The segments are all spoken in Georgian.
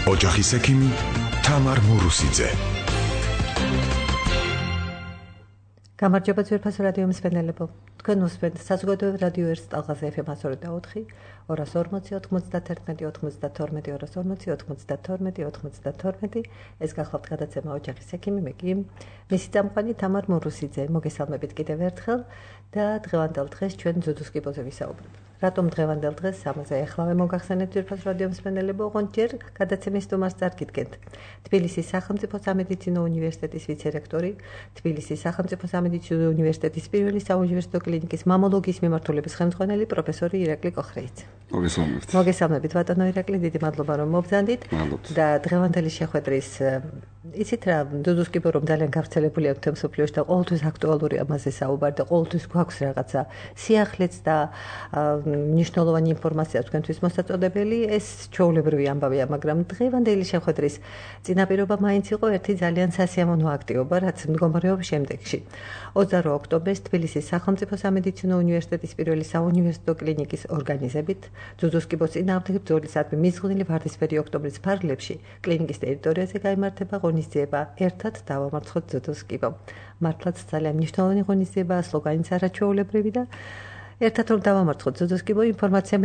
ოჯახის ექიმი თამარ მურუსიძე. გამარჯობა ძვირფას რადიო მსმენელებო. თქვენ უსმენთ საზოგადოებრივ რადიო ერთ ტალღაზე FM 102.4, 240-92, ეს გახლავთ გადაცემა ოჯახის ექიმი, მე კი მისი წამყვანი თამარ მურუსიძე. მოგესალმებით კიდევ ერთხელ და დღევანდელ დღეს ჩვენ ძუძუს კიბოზე ვისაუბრებ. რატომ დღევანდელ დღეს ამაზე ახლავე მოგახსენებთ ძვირფას რადიო მსმენელებო, ოღონდ ჯერ გადაცემის სტუმარს წარგიდგენთ. თბილისის სახელმწიფო სამედიცინო უნივერსიტეტის ვიცე-რექტორი, თბილისის სახელმწიფო სამედიცინო უნივერსიტეტის პირველი საუნივერსიტეტო კლინიკის მამოლოგიის მიმართულების ხელმძღვანელი პროფესორი ირაკლი კოხრეიძე. მოგესალმებით. მოგესალმებით ბატონო ირაკლი, დიდი მადლობა რომ მობრძანდით და დღევანდელი შეხვედრის იცით რა, ძუძუს კიბო რომ ძალიან გავრცელებულია თემსოფლიოში და ყოველთვის აქტუალური ამაზე საუბარი და ყოველთვის გვაქვს რაღაცა სიახლეც და მნიშვნელოვანი ინფორმაცია თქვენთვის მოსაწოდებელი, ეს ჩვეულებრივი ამბავია, მაგრამ დღევანდელი შეხვედრის წინაპირობა მაინც იყო ერთი ძალიან სასიამოვნო აქტივობა, რაც მდგომარეობს შემდეგში. 28 ოქტომბერს თბილისის სახელმწიფო სამედიცინო უნივერსიტეტის პირველი საუნივერსიტეტო კლინიკის ორგანიზებით ძუძუს კიბოს წინააღმდეგ ბრძოლისადმი მიზღვნილი ვარდისფერი ოქტომბრის ფარგლებში კლინიკის ტერიტორიაზე გაიმართება ღონისძიება ერთად დავამარცხოთ ძუძუს კიბო. მართლაც ძალიან მნიშვნელოვანი ღონისძიებაა, სლოგანიც არაჩვეულებრივი და ერთად რომ დავამარცხოთ ძუძუს კიბო, ინფორმაცია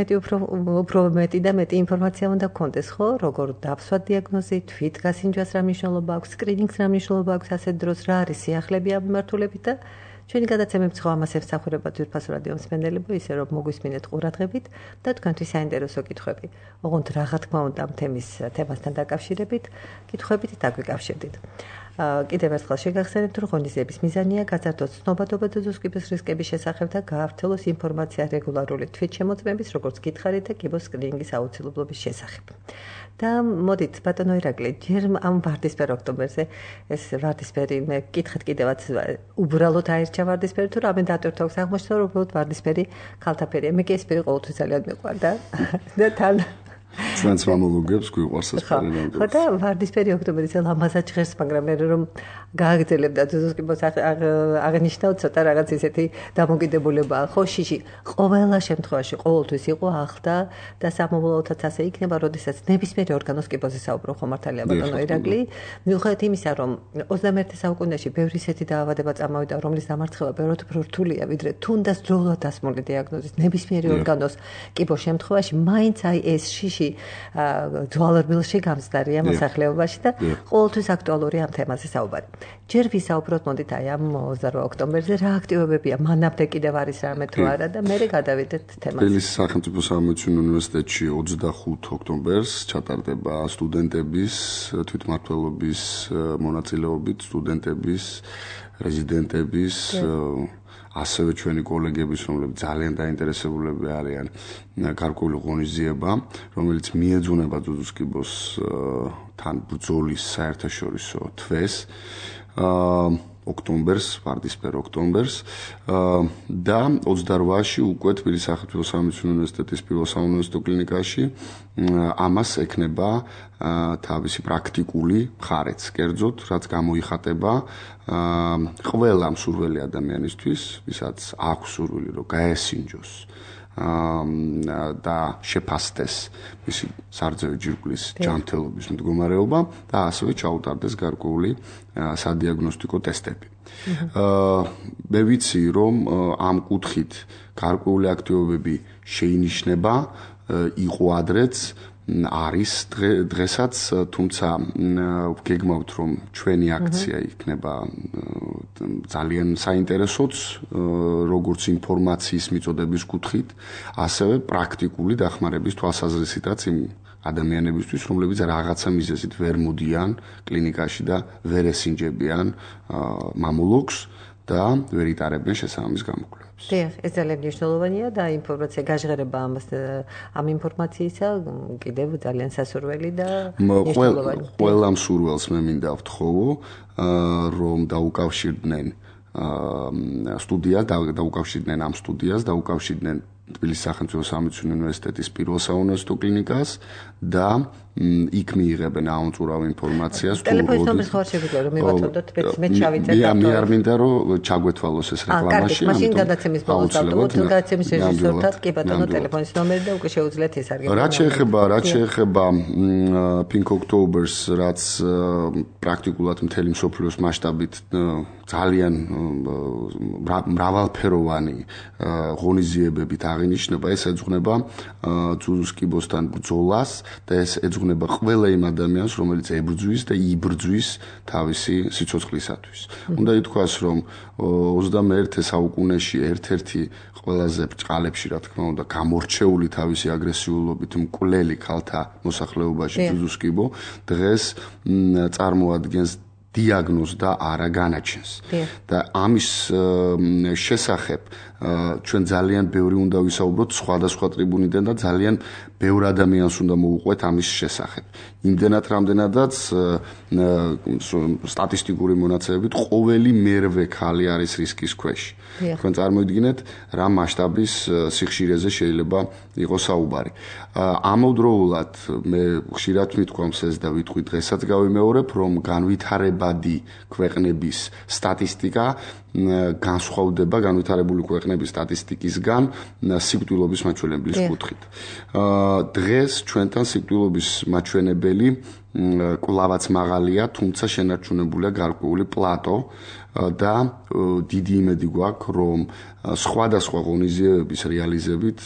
უფრო მეტი და მეტი ინფორმაცია უნდა გქონდეს, ხო? როგორ დავსვათ დიაგნოზი, თვით გასინჯვას რა მნიშვნელობა აქვს, სკრინინგს რა მნიშვნელობა აქვს ასეთ დროს, რა არის სიახლეები ამ მიმართულებით და ჩვენი გადაცემები ხო ამას ემსახურება ძვირფას რადიო მსმენელებო, ისე რომ მოგვისმინეთ ყურადღებით და თქვენთვის საინტერესო კითხვები. ოღონდ რა თქმა უნდა ამ თემასთან დაკავშირებით, კითხვებით დაგვიკავშირდით. კიდევ ერთხელ შეგახსენებთ, რომ ღონისძიების მიზანია გაზარდოს ცნობადობა ძუძუს კიბოს რისკების შესახებ და გაავრცელოს ინფორმაცია რეგულარული თვითშემოწმების, როგორც გითხარით და კიბოს სკრინინგის აუცილებლობის შესახებ. და მოდით ბატონო ირაკლი, ჯერ ამ ვარდისფერ ოქტომბერზე, ეს ვარდისფერი მე გკითხეთ კიდევაც უბრალოდ აირჩა ვარდისფერი თუ რამე დატვირთვა აქვს აღმოჩნდა, რომ უბრალოდ ვარდისფერი ქალთაფერია. მე კი ეს პირი ყოველთვის ძალიან მიყვარდა და თან ჩვენც მამოლოგებს გვიყვარს ეს პერიოდი. ხო და ვარდისფერი ოქტომბრის ლამაზად ჟღერს, მაგრამ მე რომ გააგრძელებდა ძუძუს კიბოს აღნიშნავ ცოტა რაღაც ისეთი დამოკიდებულებაა, ხო შიში ყველა შემთხვევაში ყოველთვის იყო ახლა და სამომავლოდაც ასე იქნება, როდესაც ნებისმიერი ორგანოს კიბოზე საუბრობ, ხო მართალია ბატონო ირაკლი, მიუხედავად იმისა, რომ 21 საუკუნეში ბევრი ისეთი დაავადება წამოვიდა, რომლის დამარცხება ბევრად უფრო რთულია, ვიდრე თუნდაც ძველად დასმული დიაგნოზის ნებისმიერი ორგანოს კიბოს შემთხვევაში, მაინც აი ეს შიში ძვალებილში გამწდარია მოსახლეობაში და ყოველთვის აქტუალური ამ თემაზე საუბარი. ჯერ ვისაუბროთ მოდით აი ამ 28 ოქტომბერზე რა აქტივობებია, მანამდე კიდევ არის რამე თუ არა და მერე გადავიდეთ თემაზე. თბილისის სახელმწიფო სამედიცინო უნივერსიტეტში 25 ოქტომბერს ჩატარდება სტუდენტების თვითმმართველობის მონაწილეობით, სტუდენტების, რეზიდენტების ასევე ჩვენი კოლეგების, რომლებიც ძალიან დაინტერესებულები არიან გარკვეული ღონისძიება, რომელიც მიეძღვნება ძუძუს კიბოს თან ბრძოლის საერთაშორისო თვეს ოქტომბერს, ვარდისფერ ოქტომბერს და 28-ში უკვე თბილისის სახელმწიფო სამედიცინო უნივერსიტეტის პირველ საუნივერსიტეტო კლინიკაში ამას ექნება თავისი პრაქტიკული მხარეც, კერძოდ, რაც გამოიხატება ყველა მსურველი ადამიანისთვის, ვისაც აქვს სურვილი, რომ გაესინჯოს და შეფასდეს მისი სარძევი ჯირკვლის ჯანმრთელობის მდგომარეობა და ასევე ჩაუტარდეს გარკვეული სადიაგნოსტიკო ტესტები. მე ვიცი, რომ ამ კუთხით გარკვეული აქტივობები შეინიშნება, იყო ადრეც, არის დღესაც, თუმცა გეგმავთ, რომ ჩვენი აქცია იქნება ძალიან საინტერესოც, როგორც ინფორმაციის მიწოდების კუთხით, ასევე პრაქტიკული დახმარების თვალსაზრისითაც იმ ადამიანებისთვის, რომლებიც რაღაცა მიზეზით ვერ მოდიან კლინიკაში და ვერ ესინჯებიან მამოლოგს და ვერ იტარებენ შესაბამის გამოკვლევებს. დიახ, ეს ძალიან მნიშვნელოვანია და ინფორმაცია გაჟღერება ამ ინფორმაციისა კიდევ ძალიან სასურველი და მნიშვნელოვანი. ყველა მსურველს მე მინდა ვთხოვო, რომ დაუკავშირდნენ სტუდიას, დაუკავშირდნენ ამ სტუდიას, დაუკავშირდნენ თბილისის სახელმწიფო სამედიცინო უნივერსიტეტის პირველ საუნივერსიტეტო კლინიკას და იქ მიიღებენ აუნწურავ ინფორმაციას ტელეფონის ნომერს ხარ შეგვიძლია რომ მივაწოდოთ მე ჩავიწერ და მე არ მინდა რომ ჩაგვეთვალოს ეს რეკლამაში მაშინ გადაცემის ბოლოს დავტოვოთ გადაცემის რეჟისორთან კი ბატონო ტელეფონის ნომერი და უკვე შეუძლიათ ეს არგენტინა რაც შეეხება Pink October-ს რაც პრაქტიკულად მთელი მსოფლიოს მასშტაბით ძალიან მრავალფეროვანი ღონისძიებებით აღინიშნება ეს ეძღვნება ძუძუს კიბოსთან ბრძოლას და ეს ეძღვნება ყველა იმ ადამიანს რომელიც ებრძვის და იბრძვის თავისი სიცოცხლისათვის. უნდა ითქვას რომ 21 საუკუნეში ერთ-ერთი ყველაზე ბრწყალებში რა თქმა უნდა გამორჩეული თავისი აგრესიულობით მკვლელი ქალთა მოსახლეობაში ძუძუს კიბო დღეს წარმოადგენს დიაგნოზს და არა განაჩენს. და ამის შესახებ ჩვენ ძალიან ბევრი უნდა ვისაუბროთ სხვადასხვა ტრიბუნიდან და ძალიან ბევრ ადამიანს უნდა მოუყვეთ ამის შესახებ. იმდენად რამდენადაც სტატისტიკური მონაცემებით ყოველი მერვე ხალი არის რისკის ქვეშ. თქვენ წარმოიდგინეთ რა მასშტაბის სიხშირეზე შეიძლება იყოს საუბარი. ამავდროულად მე ხშირად მithქვამს ეს და ვიტყვი დღესაც გავიმეორებ რომ განვითარებადი ქვეყნების სტატისტიკა განსხვავდება განვითარებული ქვეყნების სტატისტიკისგან სიკვდილობის მაჩვენებლის კუთხით. დღეს ჩვენთან სიკვდილობის მაჩვენებელი კვლავაც მაღალია, თუმცა შენარჩუნებულია გარკვეული პლატო და დიდი იმედი გვაქვს, რომ სხვადასხვა ღონისძიებების რეალიზებით,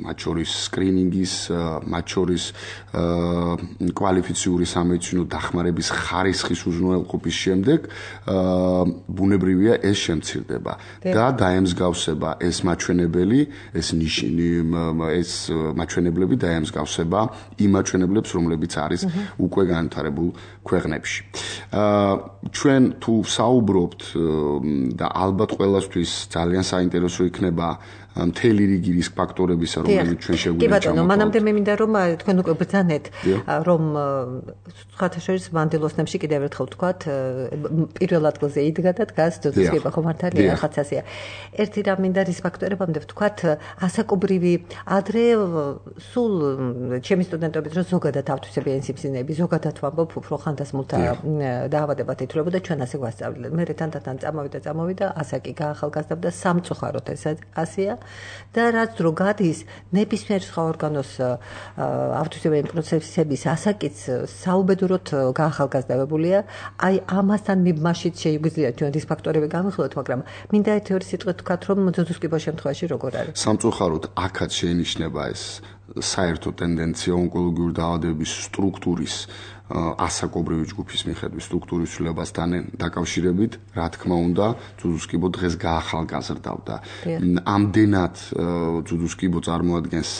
მათ შორის სკრინინგის, მათ შორის კვალიფიციური სამედიცინო დახმარების ხარისხის უზრუნველყოფის შემდეგ ბუნებრივია ეს შემცირდება და დაემსგავსება ეს მაჩვენებელი, ეს მაჩვენებლები დაემსგავსება იმ მაჩვენებლებს, რომლებიც არის უკვე განვითარებულ ქვეყნებში. ჩვენ თუ საუბრობთ და ალბათ ყველასთვის ძალიან საინტერესო იქნება მთელი რიგი რისკ ფაქტორებისა, რომლებიც ჩვენ შეგვიძლია. კი ბატონო, მანამდე მე მინდა რომ თქვენ უკვე ბრძანეთ, რომ სხვათა შორის მანდილოსნებში კიდევ ერთხელ ვთქვათ, პირველ ადგილზე იდგა და დგას ძუძუს კიბო ხო მართალია, ხაც ასეა. ერთი რამ მინდა რისკ ფაქტორებამდე ვთქვათ, ასაკობრივი ადრე სულ ჩემი სტუდენტობით რომ ზოგადად ავტვისებიანი სიმსივნეები, ზოგადად ვამბობ, უფრო ხანდასმულთა დაავადებად ითვლებოდა ჩვენ ასე გვასწავლეთ. მე თანდათან წამოვიდა, ასაკი გაახალგაზრდა და სამწუხაროდ ეს ასეა. და რაც დრო გადის ნებისმიერ სხვა ორგანოს ავტვისებიანი პროცესების ასაკიც საუბედუროდ გაახალგაზრდებულია. აი ამასთან მიბმაშით შეგვიძლია ჩვენ რისკ ფაქტორები გამიხილოთ, მაგრამ მინდა ერთი-ორი სიტყვით ვთქვათ, რომ ძუძუს კიბოს შემთხვევაში როგორ არის. სამწუხაროდ აქაც შეინიშნება ეს საერთო ტენდენცია ონკოლოგიური დაავადებების სტრუქტურის ასაკობრივი ჯგუფის მიხედვით სტრუქტურის ცვლილებასთან დაკავშირებით, რა თქმა უნდა, ძუძუს კიბო დღეს გაახალგაზრდავდა. ამდენად ძუძუს კიბო წარმოადგენს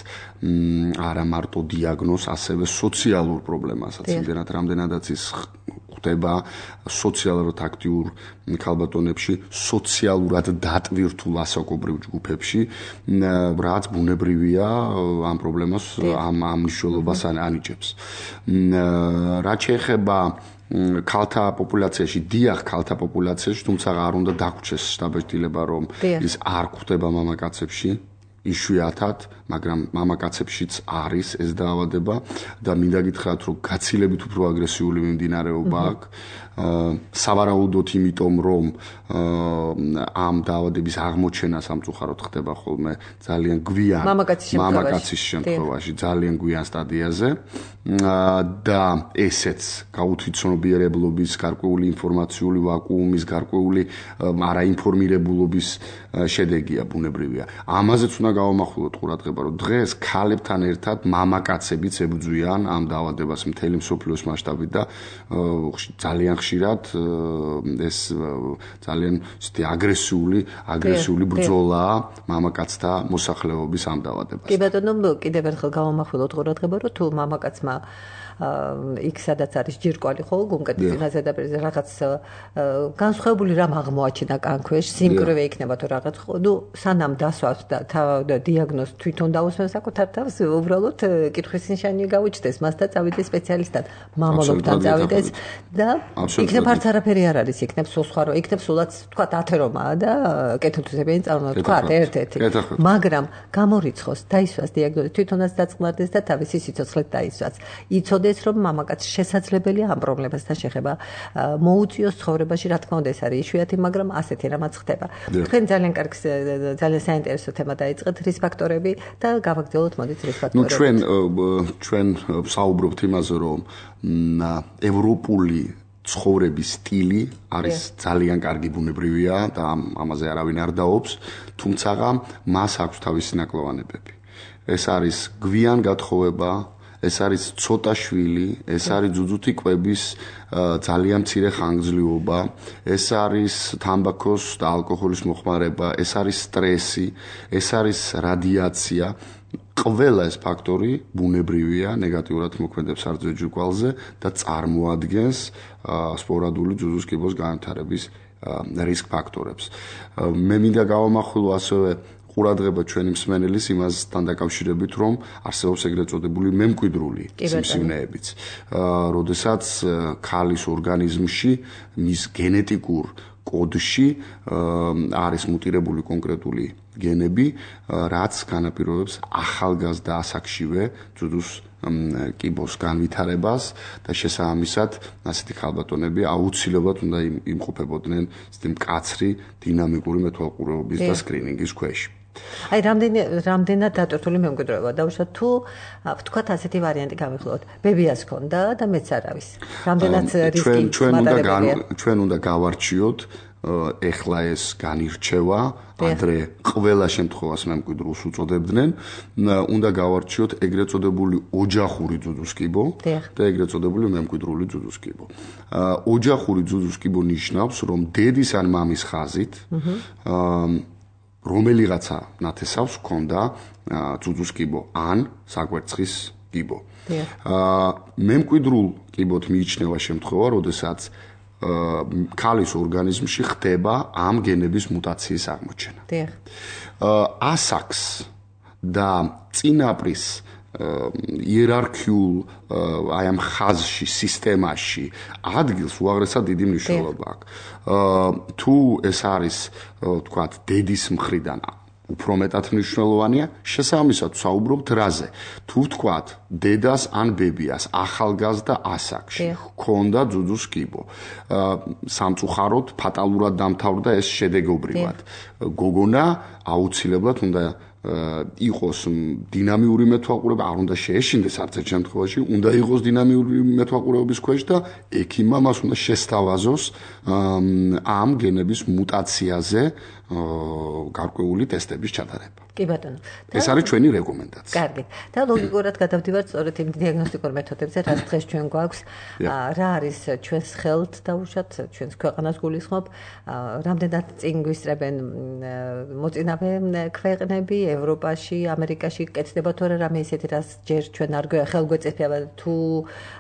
არა მარტო დიაგნოზს, ასევე სოციალურ პრობლემასაც, იმდენად რამდენადაც ის ხდება სოციალურად აქტიურ ქალბატონებში, სოციალურად დატვირთულ ასაკობრივ ჯგუფებში, რაც ბუნებრივია ამ პრობლემას, ამ მნიშვნელობას ანიჭებს. რაც შეეხება ქალთა პოპულაციაში, დიახ, ქალთა პოპულაციაში, თუმცა არ უნდა დაგვრჩეს შთაბეჭდილება, რომ ის არ გვხვდება მამაკაცებში. იშვიათად, მაგრამ მამაკაცებშიც არის ეს დაავადება და მინდა გითხრათ, რომ გაცილებით უფრო აგრესიული მიმდინარეობა აქვს. სავარაუდოდ იმიტომ, რომ ამ დაავადების აღმოჩენა სამწუხაროდ ხდება ხოლმე ძალიან გვიან მამაკაცის შემთხვევაში, ძალიან გვიან სტადიაზე და ესეც გაუთვითცნობიერებლობის, გარკვეული ინფორმაციული ვაკუუმის, გარკვეული არაინფორმირებულობის შედეგია ბუნებრივია. ამაზეც უნდა გავამახვილოთ ყურადღება, რომ დღეს ქალებთან ერთად მამაკაცებიც ებრძვიან ამ დაავადებას მთელი მსოფლიოს მასშტაბით და ძალიან ხშირად ეს ძალიან აგრესიული ბრძოლაა მამაკაცთა მოსახლეობის ამ დაავადებასთან. კი ბატონო, კიდევ ერთხელ გავამახვილოთ ყურადღება, რომ თუ მამაკაცმა იქ სადაც არის ჯირკვალი ხო გუმკეთის წინაზედაპირზე რაღაც განსხვავებული რამ აღმოაჩინა კანქვეშ სიმკვრივე იქნება თუ რაღაც ხო ნუ სანამ დასვავს და დიაგნოზს თვითონ დაუსვენს საკუთარ თავს უბრალოდ კითხვის ნიშანი გაუჩნდეს მას და წავიდეს სპეციალისტთან მამალობთან წავიდეს და იქნებ არც არაფერი არ არის იქნებ სულ სხვა რო იქნებ სულაც თქვა 10 რომაა და კეთილთვისებიანი წარმოება თქვა ერთ-ერთი მაგრამ გამორიცხოს დაისვას დიაგნოზი თვითონაც დაწყმარდეს და თავისი სიცოცხლეთ დაისვას იცოდეს რომ მამაკაცს შესაძლებელია ამ პრობლემასთან შეხება მოუწიოს ცხოვრებაში რა თქმა უნდა ეს არის იშვიათი მაგრამ ასეთი რამაც ხდება თქვენ ძალიან კარგი ძალიან საინტერესო თემა დაიწყეთ რის ფაქტორები და გავაგრძელოთ მოდით რის ფაქტორები ჩვენ საუბრობთ იმაზე რომ ევროპული ცხოვრების სტილი არის ძალიან კარგი ბუნებრივია და ამაზე არავინ არ დაობს თუმცა მას აქვს თავისი ნაკლოვანებები ეს არის გვიან გათხოვება ეს არის ცოტა შვილი ეს არის ძუძუთი კვების ძალიან მცირე ხანგრძლივობა ეს არის თამბაქოს და ალკოჰოლის მოხმარება ეს არის სტრესი ეს არის რადიაცია ყველა ეს ფაქტორი ბუნებრივია ნეგატიურად მოქმედებს სარძო ჯირკვალზე და წარმოადგენს სპორადული ძუძუს კიბოს განვითარების რისკ ფაქტორებს მე მინდა გავამახვილო ასევე ყურადღება ჩვენი მსმენელის იმასთან დაკავშირებით, რომ არსებობს ეგრეთ წოდებული მემკვიდრული სიმსივნეებიც. როდესაც ქალის ორგანიზმში მის გენეტიკურ კოდში არის მუტირებული კონკრეტული გენები, რაც განაპირობებს ახალგაზრდა ასაკშივე ძუძუს კიბოს განვითარებას და შესაბამისად ასეთი ქალბატონები აუცილებლად უნდა იმყოფებოდნენ მკაცრი დინამიკური მეთვალყურეობის და სკრინინგის ქვეშ. აი რამდენად დატვირთული მემკვიდრეობა დაუშვათ თუ ვთქვათ ასეთი ვარიანტი გამიხილოთ ბებიას ქონდა და მეც არავის რამდენად რისკი ჩვენ უნდა გავარჩიოთ ეხლა ეს განირჩევა ადრე ყველა შემთხვევას მემკვიდრულს უწოდებდნენ უნდა გავარჩიოთ ეგრეთ წოდებული ოჯახური ძუძუს კიბო და ეგრეთ წოდებული მემკვიდრული ძუძუს კიბო ოჯახური ძუძუს კიბო ნიშნავს რომ დედის ან მამის ხაზით რომელიღაცა ნათესავს ქონდა ძუძუს კიბო ან საკვერცხის კიბო. მემკვიდრულ კიბოთ მიიჩნევა შემთხვევა, როდესაც ქალის ორგანიზმში ხდება ამ გენების მუტაციის აღმოჩენა. ასაკს და წინაპრის იერარქიულ აი ამ ხაზში, სისტემაში ადგილს უაღრესად დიდი მნიშვნელობა აქვს. თუ ეს არის, თქვათ, დედის მხრიდან უფრო მეტად მნიშვნელოვანია, შესაბამისად საუბრობთ რაზე. თუ ვთქვათ, დედას ან ბებიას ახალგაზრდა ასაკში ჰქონდა ძუძუს კიბო. სამწუხაროდ ფატალურად დამთავრდა ეს შედეგობრივად. გოგონა აუცილებლად უნდა იყოს დინამიური მეთვალყურება, არ უნდა შეეშინდეს არც ერთ შემთხვევაში, უნდა იყოს დინამიური მეთვალყურებების ქვეშ და ექიმმა მას უნდა შესთავაზოს ამ გენების მუტაციაზე გარკვეული ტესტების ჩატარება. კი ბატონო. ეს არის ჩვენი რეკომენდაცია. კარგი. და ლოგიკურად გადავდივართ სწორედ იმ დიაგნოსტიკურ მეთოდებზე, რაც დღეს ჩვენ გვაქვს. რა არის ჩვენს ხელთ დაუშვათ, ჩვენს ქვეყანას გულისხმობ, რამდენად წინ გვისწრებენ მოწინავე ქვეყნები ევროპაში, ამერიკაში კეთდება თუ არა რამე ისეთი, რაც ჯერ ჩვენ არ ხელგვეწიფება თუ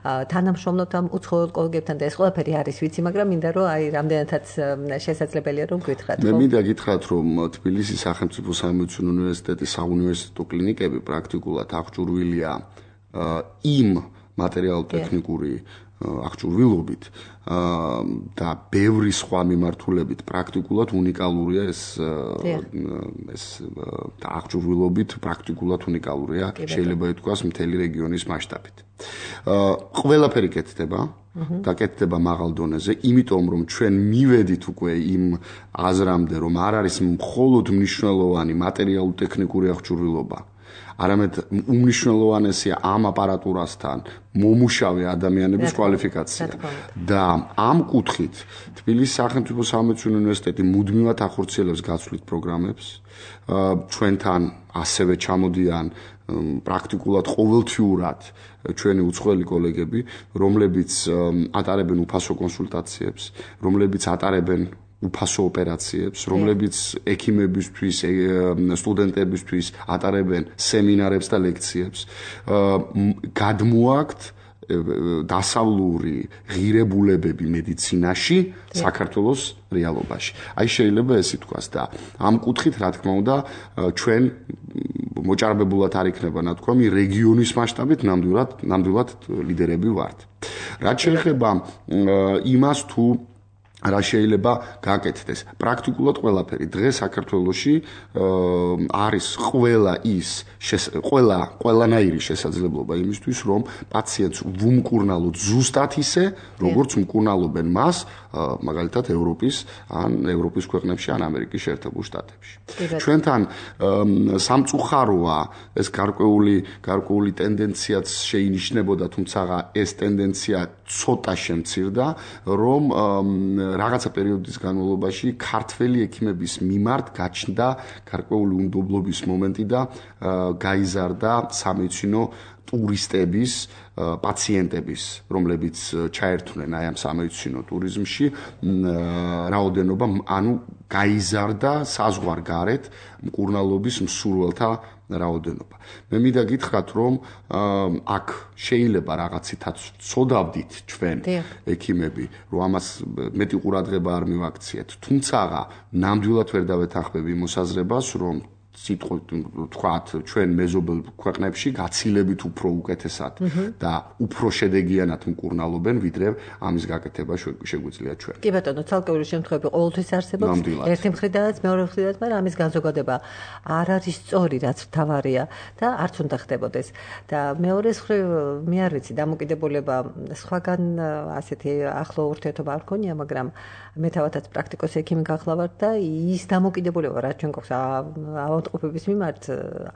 თანამშრომლობთ ამ უცხოელ კოლეგებთან და ეს ყველაფერი არის ვიცი, მაგრამ მინდა რომ აი რამდენადაც შესაძლებელია რომ გითხრათ. მე მინდა გითხრათ რომ თბილისის სახელმწიფო სამედიცინო უნივერსიტეტის საუნივერსიტეტო კლინიკები პრაქტიკულად აღჭურვილია იმ მატერიალურ-ტექნიკური აღჭურვილობით და ბევრი სხვა მიმართულებით პრაქტიკულად უნიკალურია ეს აღჭურვილობით პრაქტიკულად უნიკალურია შეიძლება ითქვას მთელი რეგიონის მასშტაბით. ყველაფერი კეთდება და კეთდება მაღალ დონეზე, იმიტომ რომ ჩვენ მივედით უკვე იმ აზრამდე, რომ არ არის მხოლოდ მნიშვნელოვანი მატერიალურ-ტექნიკური აღჭურვილობა, არამედ უმნიშვნელოვანესია ამ აპარატურასთან მომუშავე ადამიანების კვალიფიკაცია. და ამ კუთხით თბილისის სახელმწიფო სამედიცინო უნივერსიტეტი მუდმივად ახორციელებს გაცვლით პროგრამებს. ჩვენთან ასევე ჩამოდიან პრაქტიკულად ყოველთვიურად ჩვენი უცხოელი კოლეგები, რომლებიც ატარებენ უფასო კონსულტაციებს, რომლებიც ატარებენ უფასო ოპერაციებს, რომლებიც ექიმებისთვის, სტუდენტებისთვის ატარებენ სემინარებს და ლექციებს. გადმოაქვთ დასავლური ღირებულებები მედიცინაში საქართველოს რეალობაში. აი შეიძლება ეს ითქვას და ამ კუთხით რა თქმა უნდა ჩვენ მოჭარბებულად არ იქნება ნათქვამი რეგიონის მასშტაბით ნამდვილად ლიდერები ვართ. რაც შეეხება იმას თუ რა შეიძლება გაკეთდეს. პრაქტიკულად ყველაფერი დღეს საქართველოში არის ყველანაირი შესაძლებლობა იმისთვის, რომ პაციენტს ვუმკურნალოთ ზუსტად ისე, როგორც მკურნალობენ მას, მაგალითად ევროპის ქვეყნებში ან ამერიკის შეერთებულ შტატებში. ჩვენთან სამწუხაროა ეს გარკვეული ტენდენციაც შეინიშნებოდა, თუმცა ეს ტენდენცია ცოტა შემცირდა, რომ რაღაცა პერიოდის განმავლობაში ქართველი ექიმების მიმართ გაჩნდა გარკვეული უნდობლობის მომენტი და გაიზარდა სამედიცინო ტურისტების, პაციენტების, რომლებიც ჩაერთვნენ აი ამ სამედიცინო ტურიზმში, რაოდენობა, ანუ გაიზარდა საზღვარგარეთ მკურნალობის მსურველთა რაოდენობა. მე მინდა გითხრათ, რომ აქ შეიძლება რაღაცითაც ვცოდავდით ჩვენ ექიმები, რომ ამას მეტი ყურადღება არ მივაქციეთ, თუმცა ნამდვილად ვერ დავეთანხმები მოსაზრებას, რომ თქვათ ჩვენ მეზობელ ქვეყნებში გაცილებით უფრო უკეთესად და უფრო შედეგიანად მკურნალობენ, ვიდრე ამის გაკეთება შეგვიძლია ჩვენ. კი ბატონო, ცალკეული შემთხვევები ყოველთვის არსებობს. ერთი მხრიდანაც, მეორე მხრიდანაც, მაგრამ ამის განზოგადება არ არის სწორი, რაც მთავარია და არც უნდა ხდებოდეს. და მეორე მხრივ მე არ ვიცი, დამოკიდებულება სხვაგან ასეთი ახლო ურთიერთობა არ მქონია, მაგრამ მე თავადაც პრაქტიკოსი ექიმი გახლავართ და ის დამოკიდებულება, რაც ჩვენ გვაქვს ავადმყოფების მიმართ,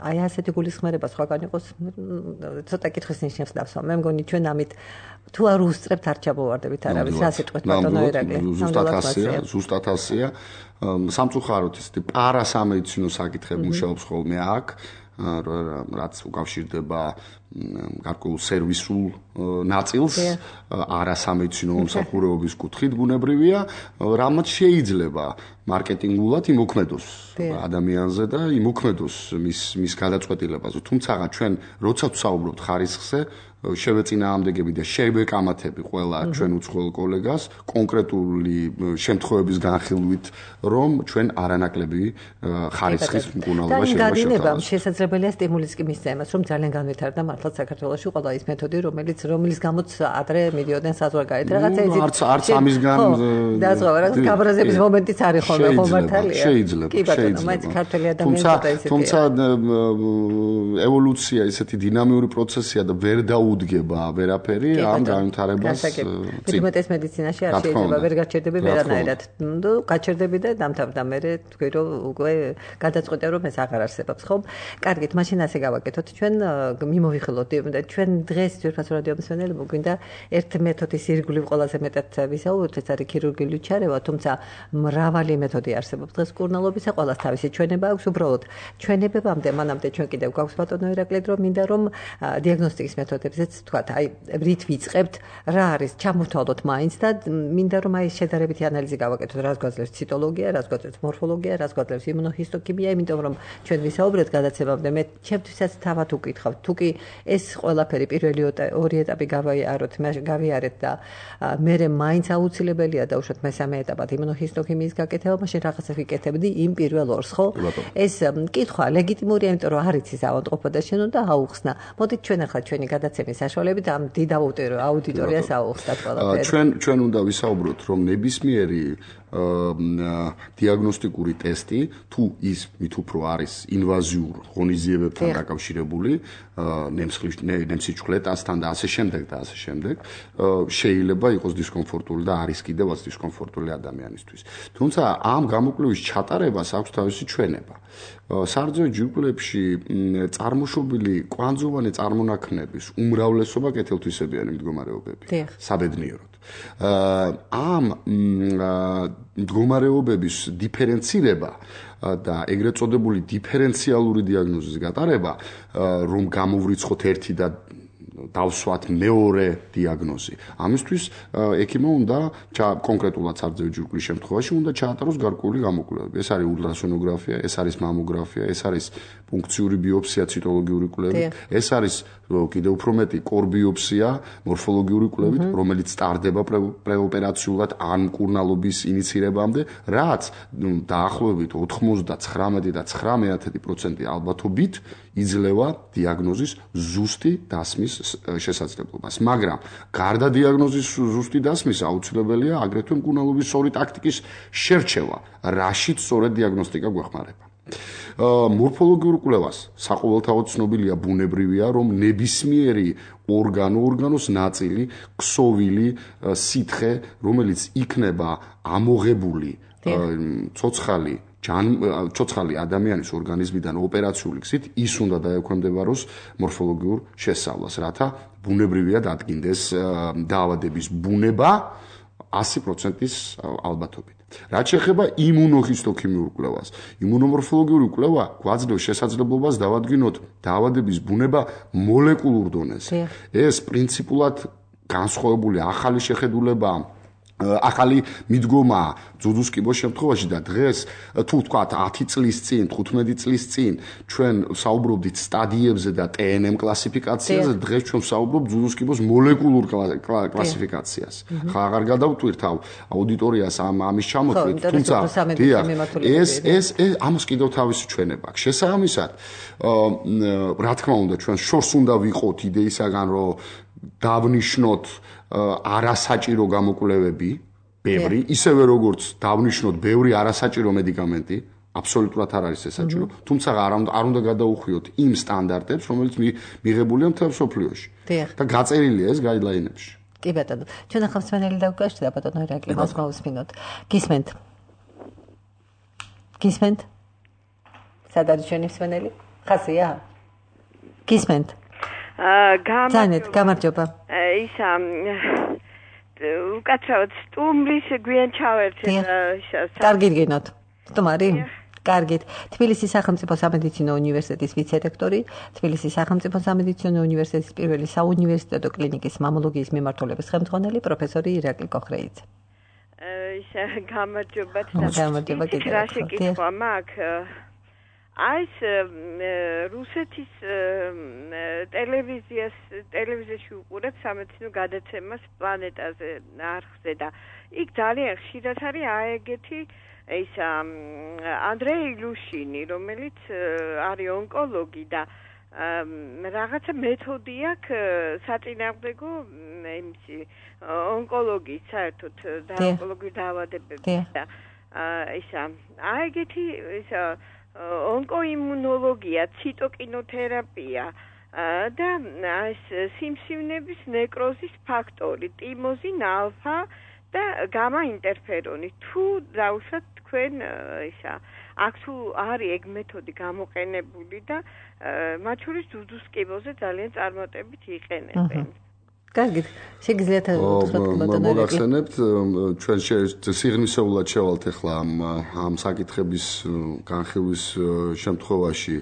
აი ასეთი გულისხმერება სხვაგან იყოს, ცოტა კითხვის ნიშნებს დავსვა. მე მგონი ჩვენ ამით თუ არ უსწრებთ არ ჩამოვარდებით არავის ასეთყვეთ ბატონო ირაკლი. ზუსტად ასეა. სამწუხაროდ ისეთი პარასამედიცინო საკითხები მუშაობს ხოლმე აქ, რაც უკავშირდება გარკვეულ სერვისულ ნაწილს, არასამედიცინო მომსახურების კუთხით ბუნებრივია, რამაც შეიძლება მარკეტინგულად იმოქმედოს ადამიანზე და იმოქმედოს მის გადაწყვეტილებაზე. თუმცა ჩვენ როცა ვსაუბრობთ ხარისხზე, შევეწინააღმდეგები და შევეკამათები ყველა ჩვენ უცხოელ კოლეგას კონკრეტული შემთხვევების განხილვით, რომ ჩვენ არანაკლები ხარისხის მკურნალობა შეიძლება შესაძლებელია სტიმულის კი მისცა იმას, რომ ძალიან განვითარდა მართლაც საქართველოში ყველა ის მეთოდი, რომელიც გამოც ადრე მიდიოდნენ საზღვარგარეთ. რაღაცა ეზით არც ამისგან დაზღვევა, რაღაც გაბრაზების მომენტიც არის ხოლმე ხომართალია. შეიძლება. მაინც ქართველი ადამიანები თუმცა ევოლუცია ისეთი დინამიური პროცესია და ვერ დაუდგება ვერაფერი ამ განვითარებას. მეტად მედიცინაში არ შეიძლება ვერ გაჩერდები ვერანაირად. გაჩერდები და დამთავრდა მე თქვი რომ უკვე გადაწყვეტე რომ ეს აღარ არსებობს, ხო? კარგით, მაშინ ასე გავაკეთოთ. ჩვენ მიმოვიხილოთ და ჩვენ დღეს ძვირფას რადიო მსმენელები გვინდა ერთ მეთოდის ირგვლივ ყველაზე მეტად ვისაუბროთ, ეს არის ქირურგიული ჩარევა, თუმცა მრავალი მეთოდი არსებობს. დღეს მკურნალობისა ყველას თავისი ჩვენება აქვს, უბრალოდ ჩვენებებამდე მანამდე ჩვენ კიდევ გვაქვს ბატონო ირაკლი, რომ მინდა რომ დიაგნოსტიკის მეთოდებზეც თქვათ, აი რით ვიწყებთ, რა არის, ჩამოვთვალოთ მაინც და მინდა რომ აი შედარებითი ანალიზი გავაკეთოთ, რას გვაძლევს ციტოლოგია, რას გვაძლევს მორფოლოგია, რას გვაძლევს იმუნოჰისტოქიმია, იმიტომ რომ ჩვენ ვისაუბრეთ გადაცემამდე, მე ჩემთვისაც თავად უკითხავთ, თუ კი ეს ყველაფერი პირველი ორი ეტაპი გავიარეთ და მე მაინც აუცილებელია დაუშვათ მესამე ეტაპად იმუნოჰისტოქიმიის გაკეთება, მაშინ რაღაცა ვიკეთებდი იმ პირველ ორს, ხო? ეს კითხვა ლეგიტიმურია, იმიტომ რომ არ იცის ავადმყოფობა და შენ უნდა აუხსნა. მოდით ჩვენ ახლა ჩვენი გადაცემის საშუალებით ამ დიდ აუდიტორიას აუხსნათ ყველაფერი. ჩვენ უნდა ვისაუბროთ, რომ ნებისმიერი დიაგნოსტიკური ტესტი, თუ ის მით უფრო არის ინვაზიურ ღონისძიებებთან დაკავშირებული, ნემსიჩქლეტასთან და ასე შემდეგ, შეიძლება იყოს დისკომფორტული და არის კიდევაც დისკომფორტული ადამიანისთვის. თუმცა ამ გამოკვლევის ჩატარებას აქვს თავისი ჩვენება. სარძო ჯირკვლებში წარმოშობილი კვანძოვანი წარმონაქმნების უმრავლესობა კეთილთვისებიანი მდგომარეობები, საბედნიეროდ. ამ მდგომარეობების დიფერენცირება და ეგრეთ წოდებული დიფერენციალური დიაგნოზის გატარება, რომ გამოვრიცხოთ ერთი და დავსვათ მეორე დიაგნოზი. ამისთვის ექიმმა უნდა კონკრეტულად სარძევი ჯირკვლის შემთხვევაში უნდა ჩაატაროს გარკვეული გამოკვლევები. ეს არის ულტრასონოგრაფია, ეს არის მამოგრაფია, ეს არის პუნქციური ბიოფსია, ციტოლოგიური კვლევი, ეს არის კიდევ უფრო მეტი კორბიოფსია, მორფოლოგიური კვლევით, რომელიც სტარდება პრეოპერაციულად ან მკურნალობის ინიცირებამდე, რაც დაახლოებით 99.9% ალბათობით იძლევა დიაგნოზის ზუსტი დასმის შესაძლებლობას. მაგრამ გარდა დიაგნოზის ზუსტი დასმის აუცილებელია აგრეთვე მკურნალობის სწორი ტაქტიკის შერჩევა, რაშიც სწორედ დიაგნოსტიკა გვეხმარება. მორფოლოგიურ კვლევას საყოველთაოდ ცნობილია ბუნებრივია, რომ ნებისმიერი ორგანოს ნაწილი, ქსოვილი, სითხე, რომელიც იქნება ამოღებული ცოცხალი ადამიანის ორგანიზმიდან ოპერაციული გზით, ის უნდა დაექვემდებაროს მორფოლოგიურ შესწავლას, რათა ბუნებრივია დადგინდეს დაავადების ბუნება 100%-ის ალბათობით. რაც შეეხება იმუნოჰისტოქიმიურ კვლევას, იმუნომორფოლოგიური კვლევა გვაძლევს შესაძლებლობას დავადგინოთ დაავადების ბუნება მოლეკულურ დონეზე. ეს პრინციპულად განსხვავებული ახალი შეხედულებაა, ახალი მიდგომა ძუძუს კიბოს შემთხვევაში და დღეს თუ ვთქვათ 10 წლის წინ, 15 წლის წინ ჩვენ საუბრობდით სტადიებზე და TNM კლასიფიკაციაზე, დღეს ჩვენ ვსაუბრობთ ძუძუს კიბოს მოლეკულურ კლასიფიკაციას. ხა აღარ გადავტვირთ აუდიტორიას ამის ჩამოთვლით, თუმცა ეს ამას კიდევ თავისი ჩვენება აქვს. შესაბამისად, რა თქმა უნდა, ჩვენ შორს უნდა ვიყოთ იდეისაგან, რომ დავნიშნოთ არასაჭირო გამოკვლევები, ბევრი, ისევე როგორც დავნიშნოთ ბევრი არასაჭირო მედიკამენტი, აბსოლუტურად არ არის ეს საჭირო, თუმცა არ უნდა გადაუხვიოთ იმ სტანდარტებს, რომელიც მიღებულია მთელ მსოფლიოში. და გაწერილია ეს გაიდლაინებში. კი ბატონო, ჩვენ ახლა მსმენელი დავგაშდა ბატონო ირაკლი, მას მოვისმინოთ. გისმენთ? სად არის ჩვენი მსმენელი? ხაზია? გისმენთ? გამარჯობა. ისა უკაცრავად სტუმრის გვიან ჩავერთე და კარგი გინოთ. სტუმარი? კარგით. თბილისის სახელმწიფო სამედიცინო უნივერსიტეტის ვიცე-რექტორი, თბილისის სახელმწიფო სამედიცინო უნივერსიტეტის პირველი საუნივერსიტეტო კლინიკის მამოლოგიის მიმართულების ხელმძღვანელი პროფესორი ირაკლი კოხრეიძე. გამარჯობა. გამარჯობა კიდევ ერთხელ. ეს რუსეთის ტელევიზიაში უყურებ სამედიცინო გადაცემას პლანეტაზე არხზე და იქ ძალიან ხშირად არის აეგეთი ეს ანდრეი ილუშინი, რომელიც არის ონკოლოგი და რაღაცა მეთოდი აქვს საწინააღმდეგო იმისი ონკოლოგიის საერთოდ და ონკოლოგიური დაავადებების და ისა აეგეთი ისა ონკოიმუნოლოგია, ციტოკინოთერაპია და ეს სიმსივნების ნეკროზის ფაქტორი, ტიმოზინ ალფა და გამა ინტერფერონი. თუ დავუშვათ თქვენ ისა აქ თუ არის ეგ მეთოდი გამოყენებული და მათ შორის ძუძუს კიბოზე ძალიან წარმატებით იყენებენ. კარგით, შეგიძლიათ მოგახსენებთ, ჩვენ სიღრმისეულად შევალთ ახლა ამ საკითხების განხილვის შემთხვევაში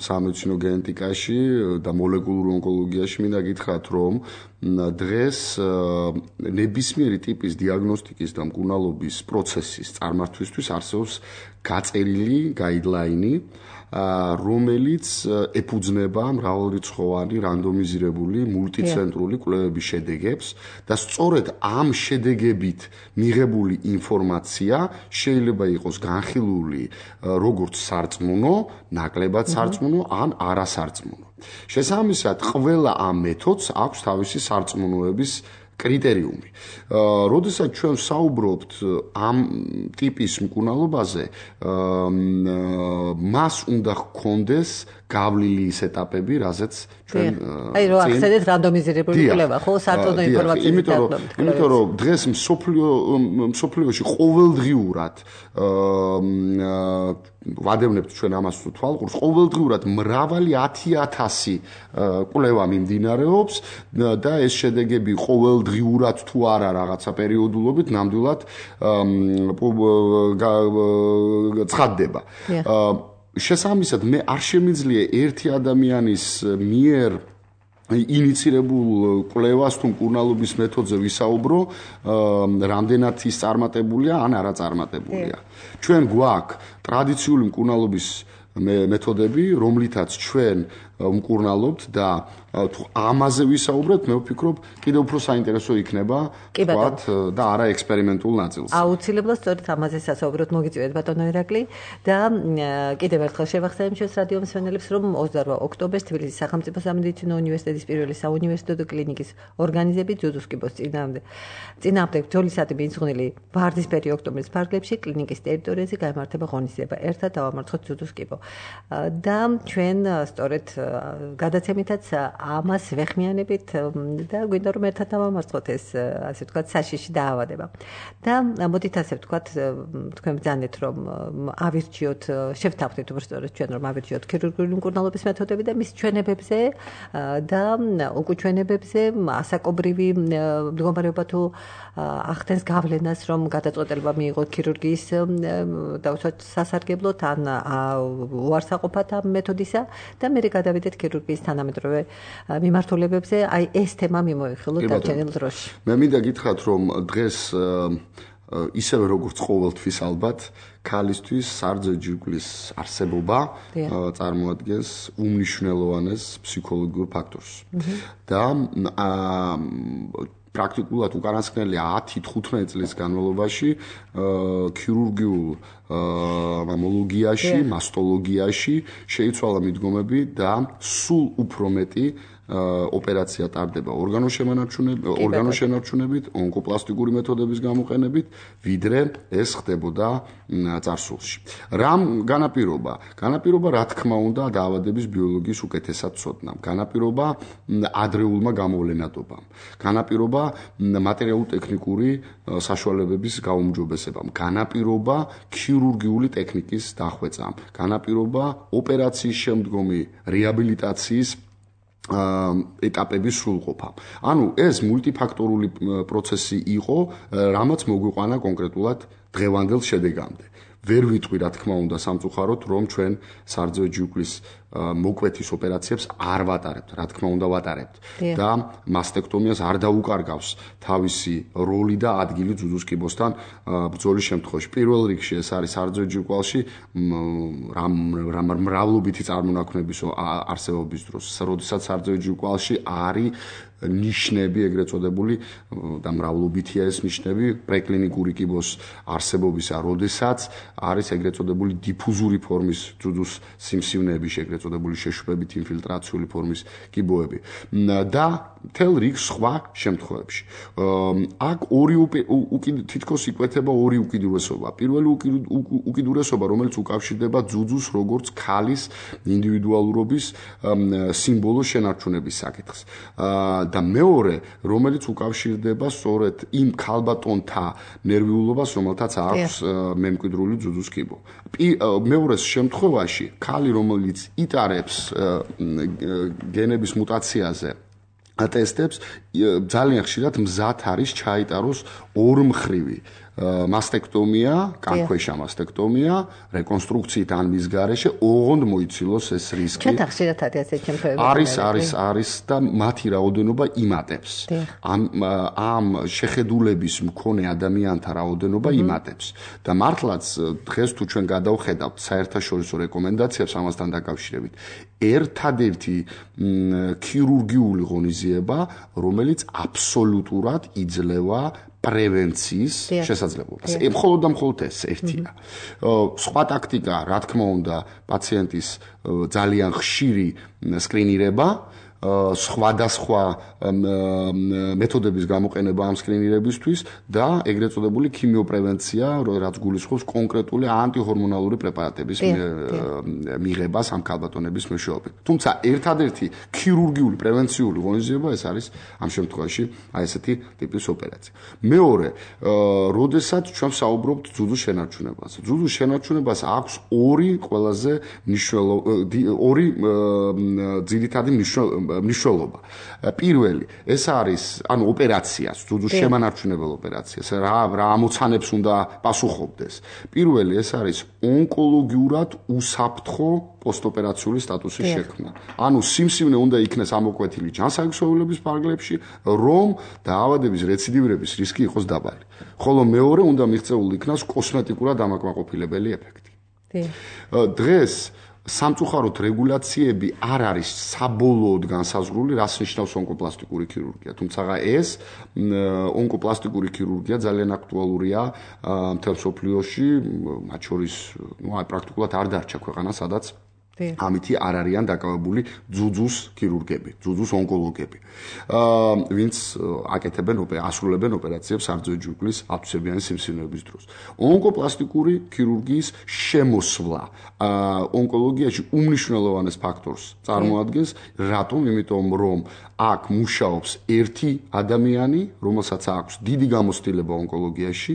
სამედიცინო გენეტიკაში და მოლეკულურ ონკოლოგიაში მინდა გითხრათ, რომ დღეს ნებისმიერი ტიპის დიაგნოსტიკის და მკურნალობის პროცესის წარმართვისთვის არსებობს გაწერილი გაიდლაინი, რომელიც ეფუძნება მრავალრიცხოვანი რანდომიზირებული მულტიცენტრული კვლევების შედეგებს და სწორედ ამ შედეგებით მიღებული ინფორმაცია შეიძლება იყოს განხილული როგორც სარწმუნო, ნაკლებად სარწმუნო ან არასარწმუნო. შესაბამისად, ყველა ამ მეთოდს აქვს თავისი სარწმუნოების კრიტერიუმი. როდესაც ჩვენ საუბრობთ ამ ტიპის მკურნალობაზე, მას უნდა ჰქონდეს გავლილი ის ეტაპები, რაზეც ჩვენ აი რო ახსენეთ რანდომიზირებული კვლევა, ხო, სარწმუნო ინფორმაციის დაბლობთ. იმიტომ რომ დღეს მსოფლიოში ყოველდღიურად ვადევნებთ ჩვენ ამას თვალყურს, ყოველდღიურად მრავალი 10,000 კვლევა მიმდინარეობს და ეს შედეგები ყოველდღიურად თუ არა რაღაცა პერიოდულობით ნამდვილად ცხადდება. შესაბამისად, მე არ შემიძლია ერთი ადამიანის მიერ ინიცირებულ კვლევას თუ მკურნალობის მეთოდზე ვისაუბრო, რამდენად ის წარმატებულია ან არაწარმატებულია. ჩვენ გვაქვს ტრადიციული მკურნალობის მეთოდები, რომლითაც ჩვენ ვმკურნალობთ და თუ ამაზე ვისაუბრებთ, მე ვფიქრობ, კიდევ უფრო საინტერესო იქნება, ვთქვათ, და არა ექსპერიმენტულ ნაწილს. აუცილებლად სწორედ ამაზე სასაუბროთ, მოგიწევთ ბატონო ირაკლი და კიდევ ერთხელ შევახსენებ ჩვენს რადიო მსმენელებს, რომ 28 ოქტომბერს თბილისის სახელმწიფო სამედიცინო უნივერსიტეტის პირველი საუნივერსიტეტო კლინიკის ორგანიზებით ძუძუს კიბოს წინააღმდეგ ბრძოლისადმი მიძღვნილი ვარდისფერი ოქტომბრის ფარგლებში კლინიკის ტერიტორიაზე გაიმართება ღონისძიება. ერთად დავამარცხოთ ძუძუს კიბო. და ჩვენ სწორედ გადაცემითაც ამას ვეხმიანებით და გვინდა რომ ერთად დავამარცხოთ ეს ასე ვთქვათ საშიში დაავადება. და მოდით ასე ვთქვათ თქვენ ბრძანეთ რომ ავირჩიოთ, შევთანხმდით უბრალოდ ჩვენ რომ ავირჩიოთ ქირურგიული მკურნალობის მეთოდები და მის ჩვენებებზე და უკუჩვენებებზე ასაკობრივი მდგომარეობა თუ ახდენს გავლენას რომ გადაწყვეტილება მიიღოთ ქირურგიის დაუშვათ სასარგებლოდ ან უარსაყოფად ამ მეთოდისა და მე გადავიდეთ ქირურგიის თანამედროვე მიმართულებებზე, აი ეს თემა მიმოიხილოთ დარჩენილ დროში. მე მინდა გითხრათ, რომ დღეს ისევე როგორც ყოველთვის ალბათ, ქალისთვის სარძო ჯირკვლის არსებობა წარმოადგენს უმნიშვნელოვანეს ფსიქოლოგიურ ფაქტორს. და პრაქტიკულად უკანასკნელი 10-15 წლის განმავლობაში ქირურგიულ მამოლოგიაში, მასტოლოგიაში შეიცვალა მიდგომები და სულ უფრო მეტი ოპერაცია ტარდება ორგანოშენარჩუნებით, ონკოპლასტიკური მეთოდების გამოყენებით, ვიდრე ეს ხდებოდა წარსულში. რამ განაპირობა? განაპირობა, რა თქმა უნდა, დაავადების ბიოლოგიის უკეთესად ცოდნამ. განაპირობა ადრეულმა გამოვლენადობამ. განაპირობა მატერიალურ-ტექნიკური საშუალებების გაუმჯობესებამ. განაპირობა ქირურგიული ტექნიკის დახვეწამ. განაპირობა ოპერაციის შემდგომი რეაბილიტაციის ეტაპების სრულყოფა. ანუ ეს მულტიფაქტორული პროცესი იყო, რამაც მოგვიყვანა კონკრეტულად დღევანდელ შედეგამდე. ვერ ვიტყვი, რა თქმა უნდა, სამწუხაროდ, რომ ჩვენ სარძო ჯირკვლის მოკვეთის ოპერაციებს არ ვატარებთ, რა თქმა უნდა, ვატარებთ. და მასტექტომიას არ დაუკარგავს თავისი როლი და ადგილი ძუძუს კიბოსთან ბრძოლის შემთხვევაში. პირველ რიგში ეს არის სარძო ჯირკვალში მრავლობითი წარმონაქმნების არსებობის დროს, როდესაც სარძო ჯირკვალში არის ნიშნები, ეგრეთ წოდებული და მრავლობითია ეს ნიშნები პრეკლინიკური კიბოს არსებობისა, როდესაც არის ეგრეთ წოდებული დიფუზური ფორმის ძუძუს სიმსივნეები, ეგრეთ წოდებული შეშვებით ინფილტრაციული ფორმის კიბოები და მთელ რიგ სხვა შემთხვევებში. აქ თითქოს იკვეთება ორი უკიდურესობა. პირველი უკიდურესობა, რომელიც უკავშირდება ძუძუს როგორც ქალის ინდივიდუალურობის სიმბოლო შენარჩუნების საკითხს. და მეორე, რომელიც უკავშირდება სწორედ იმ ქალბატონთა ნერვიულობას, რომელთაც აქვს მემკვიდრული ძუძუს კიბო. მეორეს შემთხვევაში, ქალი, რომელიც იტარებს გენების მუტაციაზე ტესტებს, ძალიან ხშირად მზად არის ჩაიტაროს ორმხრივი მასტექტომია, კანქვეშა მასტექტომია, რეკონსტრუქციით ან მის გარეშე, ოღონდ მოიცილოს ეს რისკი. ჩვენთან ხშირად არის ეს შემთხვევები. არის და მათი რაოდენობა იმატებს. ამ შეხედულების მქონე ადამიანთა რაოდენობა იმატებს. და მართლაც დღეს თუ ჩვენ გადავხედავთ საერთაშორისო რეკომენდაციებს ამასთან დაკავშირებით, ერთადერთი ქირურგიული ღონისძიება, რომელიც აბსოლუტურად იძლევა პრევენციის შესაძლებლობას. მხოლოდ და მხოლოდ ეს ერთია. სხვა ტაქტიკა, რა თქმა უნდა, პაციენტის ძალიან ხშირი სკრინირება, სხვადასხვა მეთოდების გამოყენება ამ სკრინირებისთვის და ეგრეთ წოდებული ქიმიოპრევენცია, რაც გულისხმობს კონკრეტული ანტihormonალური პრეპარატების მიღებას ამ ქალბატონების მეშვეობით. თუმცა ერთადერთი ქირურგიული პრევენციული ღონისძიება ეს არის ამ შემთხვევაში აი ესეთი ტიპის ოპერაცია. მეორე, როდესაც ჩვენ საუბრობთ ძუძუს შენარჩუნებაზე. ძუძუს შენარჩუნებას აქვს ორი ყველაზე ძირითადი მნიშვნელობა. პირველი, ეს არის, ანუ ოპერაციას, ძუძუს შემანარჩუნებელ ოპერაციას, რა ამოცანებს უნდა პასუხობდეს. პირველი, ეს არის ონკოლოგიურად უსაფრთხო პოსტოპერაციული სტატუსის შექმნა. ანუ სიმსივნე უნდა იქნეს ამოკვეთილი ჯანსაღმსევლობის ფარგლებში, რომ დაავადების რეციდივირების რისკი იყოს დაბალი. ხოლო მეორე უნდა მიღწეული იქნას კოსმეტიკურად ამაკმაყოფილებელი ეფექტი. დღეს სამწუხაროდ რეგულაციები არ არის საბოლოოდ განსაზღვრული, რას ნიშნავს ონკოპლასტიკური ქირურგია. თუმცა ეს ონკოპლასტიკური ქირურგია ძალიან აქტუალურია მთელ მსოფლიოში, მათ შორის, პრაქტიკულად არ დარჩა ქვეყანა, სადაც ამითი არ არიან დაკავებული ძუძუს ქირურგები, ძუძუს ონკოლოგები. ვინც ასრულებენ ოპერაციებს სარძოე ჯირკვლის ათვისებიანი სიმსივნეების დროს. ონკოპლასტიკური ქირურგიის შემოსვლა ონკოლოგიაში უმნიშვნელოვანეს ფაქტორს წარმოადგენს, რატომ? იმიტომ რომ აქ მუშაობს ერთი ადამიანი, რომელსაც აქვს დიდი გამოცდილება ონკოლოგიაში